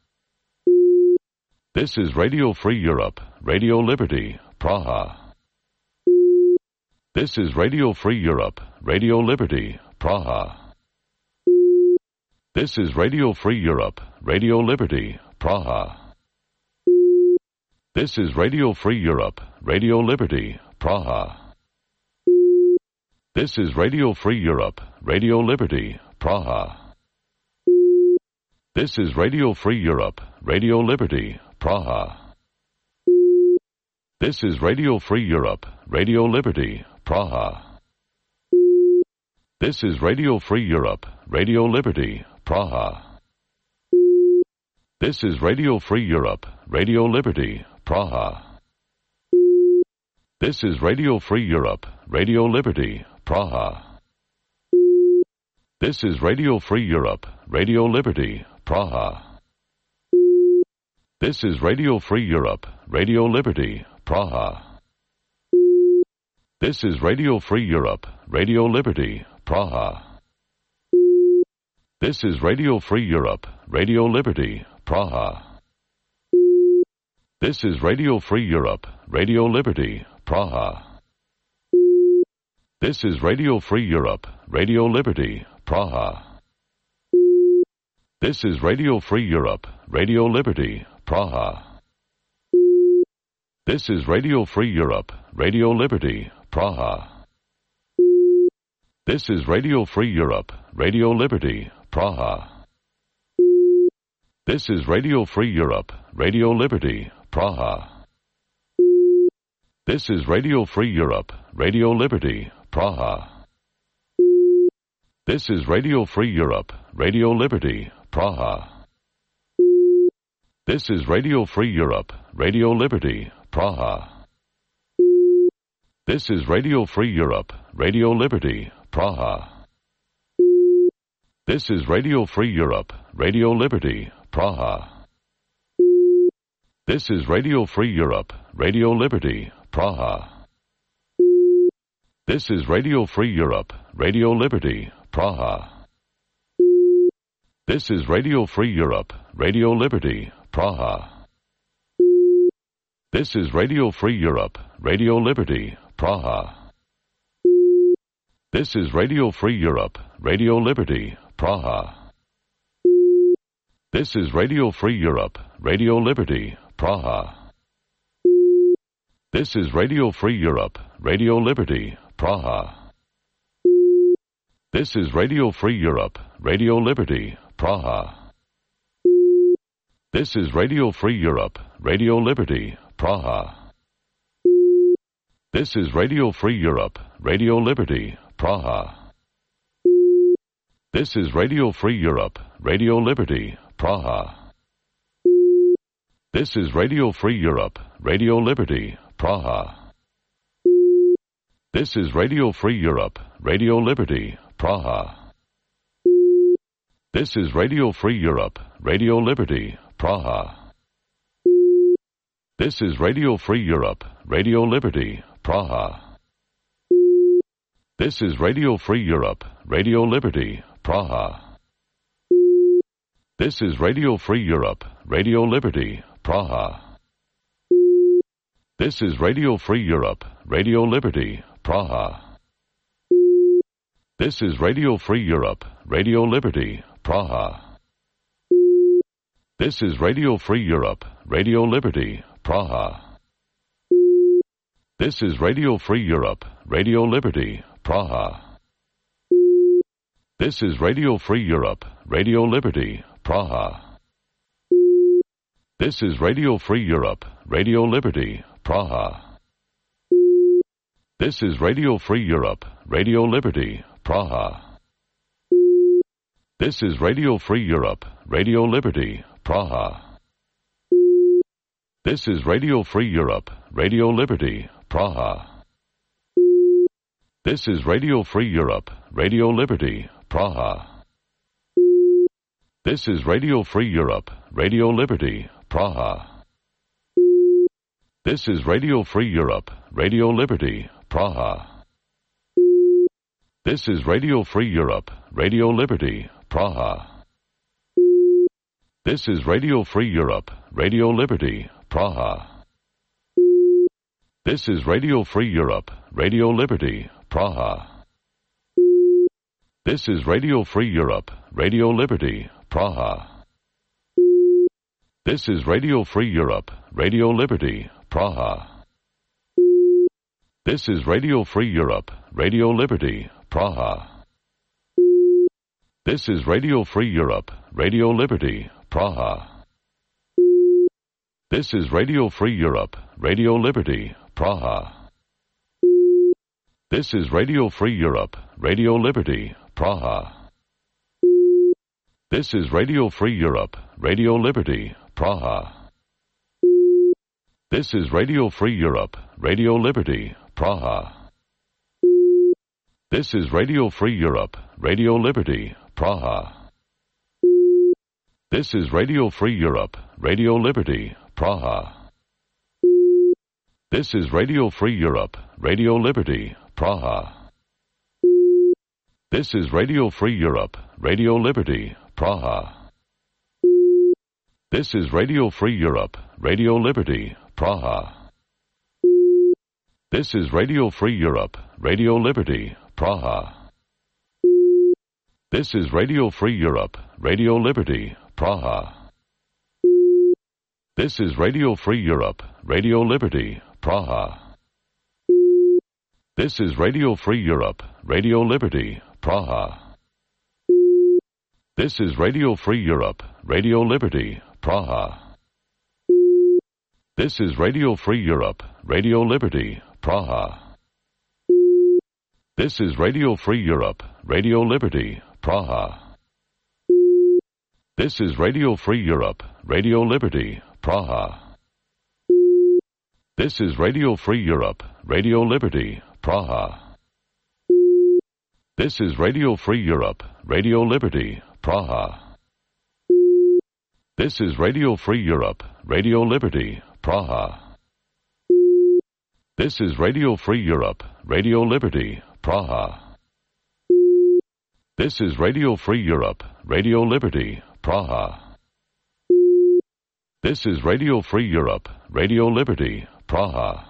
[SPEAKER 13] This is Radio Free Europe, Radio Liberty, Praha. This is Radio Free Europe, Radio Liberty, Praha. This is Radio Free Europe, Radio Liberty, Praha. This is Radio Free Europe, Radio Liberty, Praha. This is Radio Free Europe, Radio Liberty, Praha. This is Radio Free Europe, Radio Liberty, Praha. This is Radio Free Europe, Radio Liberty, Praha. This is Radio Free Europe, Radio Liberty, Praha. This is Radio Free Europe, Radio Liberty, Praha. This is Radio Free Europe, Radio Liberty, Praha. This is Radio Free Europe, Radio Liberty, Praha. This is Radio Free Europe, Radio Liberty, Praha. This is Radio Free Europe, Radio Liberty, Praha. This is Radio Free Europe, Radio Liberty, Praha. This is Radio Free Europe, Radio Liberty, Praha. This is Radio Free Europe, Radio Liberty, Praha. This is Radio Free Europe, Radio Liberty, Praha. This is Radio Free Europe, Radio Liberty, Praha. This is Radio Free Europe, Radio Liberty, Praha. This is Radio Free Europe, Radio Liberty, Praha. This is Radio Free Europe, Radio Liberty, Praha. This is Radio Free Europe, Radio Liberty, Praha. This is Radio Free Europe, Radio Liberty, Praha. This is Radio Free Europe, Radio Liberty, Praha. This is Radio Free Europe, Radio Liberty, Praha. This is Radio Free Europe, Radio Liberty, Praha. This is Radio Free Europe, Radio Liberty, Praha. This is Radio Free Europe, Radio Liberty, Praha. This is Radio Free Europe, Radio Liberty, Praha. This is Radio Free Europe, Radio Liberty, Praha. This is Radio Free Europe, Radio Liberty, Praha. This is Radio Free Europe, Radio Liberty, Praha. This is Radio Free Europe, Radio Liberty, Praha. This is Radio Free Europe, Radio Liberty, Praha. This is Radio Free Europe, Radio Liberty, Praha. This is Radio Free Europe, Radio Liberty, Praha. This is Radio Free Europe, Radio Liberty, Praha. This is Radio Free Europe, Radio Liberty, Praha. This is Radio Free Europe, Radio Liberty, Praha. This is Radio Free Europe, Radio Liberty, Praha. This is Radio Free Europe, Radio Liberty, Praha. This is Radio Free Europe, Radio Liberty, Praha. This is Radio Free Europe, Radio Liberty, Praha. This is Radio Free Europe, Radio Liberty, Praha. This is Radio Free Europe, Radio Liberty, Praha. This is Radio Free Europe, Radio Liberty, Praha. This is Radio Free Europe, Radio Liberty, Praha. This is Radio Free Europe, Radio Liberty, Praha. This is Radio Free Europe, Radio Liberty, Praha. This is Radio Free Europe, Radio Liberty, Praha. This is Radio Free Europe, Radio Liberty, Praha. This is Radio Free Europe, Radio Liberty, Praha. This is Radio Free Europe, Radio Liberty, Praha. This is Radio Free Europe, Radio Liberty, Praha. This is Radio Free Europe, Radio Liberty, Praha. This is Radio Free Europe, Radio Liberty, Praha. This is Radio Free Europe, Radio Liberty, Praha. This is Radio Free Europe, Radio Liberty, Praha. This is Radio Free Europe, Radio Liberty, Praha. This is Radio Free Europe, Radio Liberty, Praha. This is Radio Free Europe, Radio Liberty, Praha. This is Radio Free Europe, Radio Liberty, Praha. This is Radio Free Europe, Radio Liberty, Praha. This is Radio Free Europe, Radio Liberty, Praha. This is Radio Free Europe, Radio Liberty, Praha. This is Radio Free Europe, Radio Liberty, Praha. This is Radio Free Europe, Radio Liberty, Praha. This is Radio Free Europe, Radio Liberty, Praha. This is Radio Free Europe, Radio Liberty, Praha. This is Radio Free Europe, Radio Liberty, Praha. This is Radio Free Europe, Radio Liberty, Praha. This is Radio Free Europe, Radio Liberty, Praha. This is Radio Free Europe, Radio Liberty, Praha. This is Radio Free Europe, Radio Liberty, Praha. This is Radio Free Europe, Radio Liberty, Praha. This is Radio Free Europe, Radio Liberty, Praha. This is Radio Free Europe, Radio Liberty, Praha. This is Radio Free Europe, Radio Liberty, Praha. This is Radio Free Europe, Radio Liberty, Praha. This is Radio Free Europe, Radio Liberty, Praha. This is Radio Free Europe, Radio Liberty, Praha. This is Radio Free Europe, Radio Liberty, Praha. This is Radio Free Europe, Radio Liberty, Praha. This is Radio Free Europe, Radio Liberty, Praha.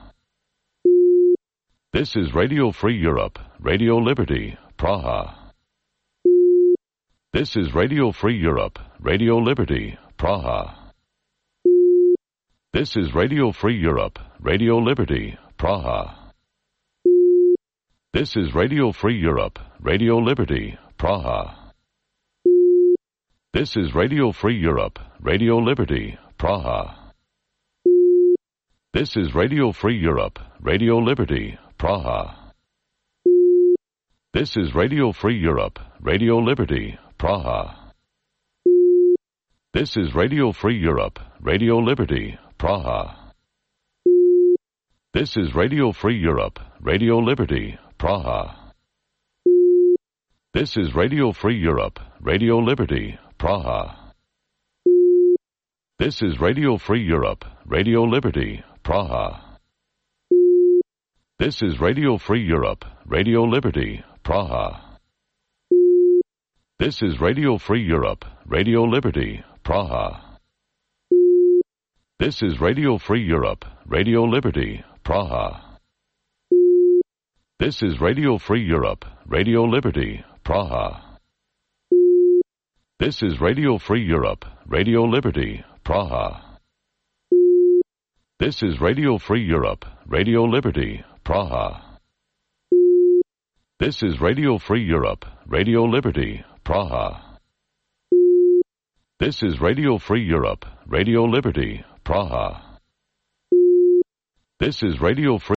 [SPEAKER 13] This is Radio Free Europe, Radio Liberty, Praha. This is Radio Free Europe, Radio Liberty, Praha. This is Radio Free Europe, Radio Liberty, Praha. This is Radio Free Europe, Radio Liberty, Praha. This is Radio Free Europe, Radio Liberty, Praha. This is Radio Free Europe, Radio Liberty, Praha. This is Radio Free Europe, Radio Liberty, Praha. This is Radio Free Europe, Radio Liberty, Praha. This is Radio Free Europe, Radio Liberty, Praha. This is Radio Free Europe, Radio Liberty, Praha. This is Radio Free Europe, Radio Liberty, Praha. This is Radio Free Europe, Radio Liberty, Praha. This is Radio Free Europe, Radio Liberty, Praha. This is Radio Free Europe, Radio Liberty, Praha. This is Radio Free Europe, Radio Liberty, Praha. This is Radio Free Europe, Radio Liberty, Praha. This is Radio Free Europe, Radio Liberty, Praha. This is Radio Free Europe, Radio Liberty, Praha. This is Radio Free Europe, Radio Liberty, Praha. This is Radio Free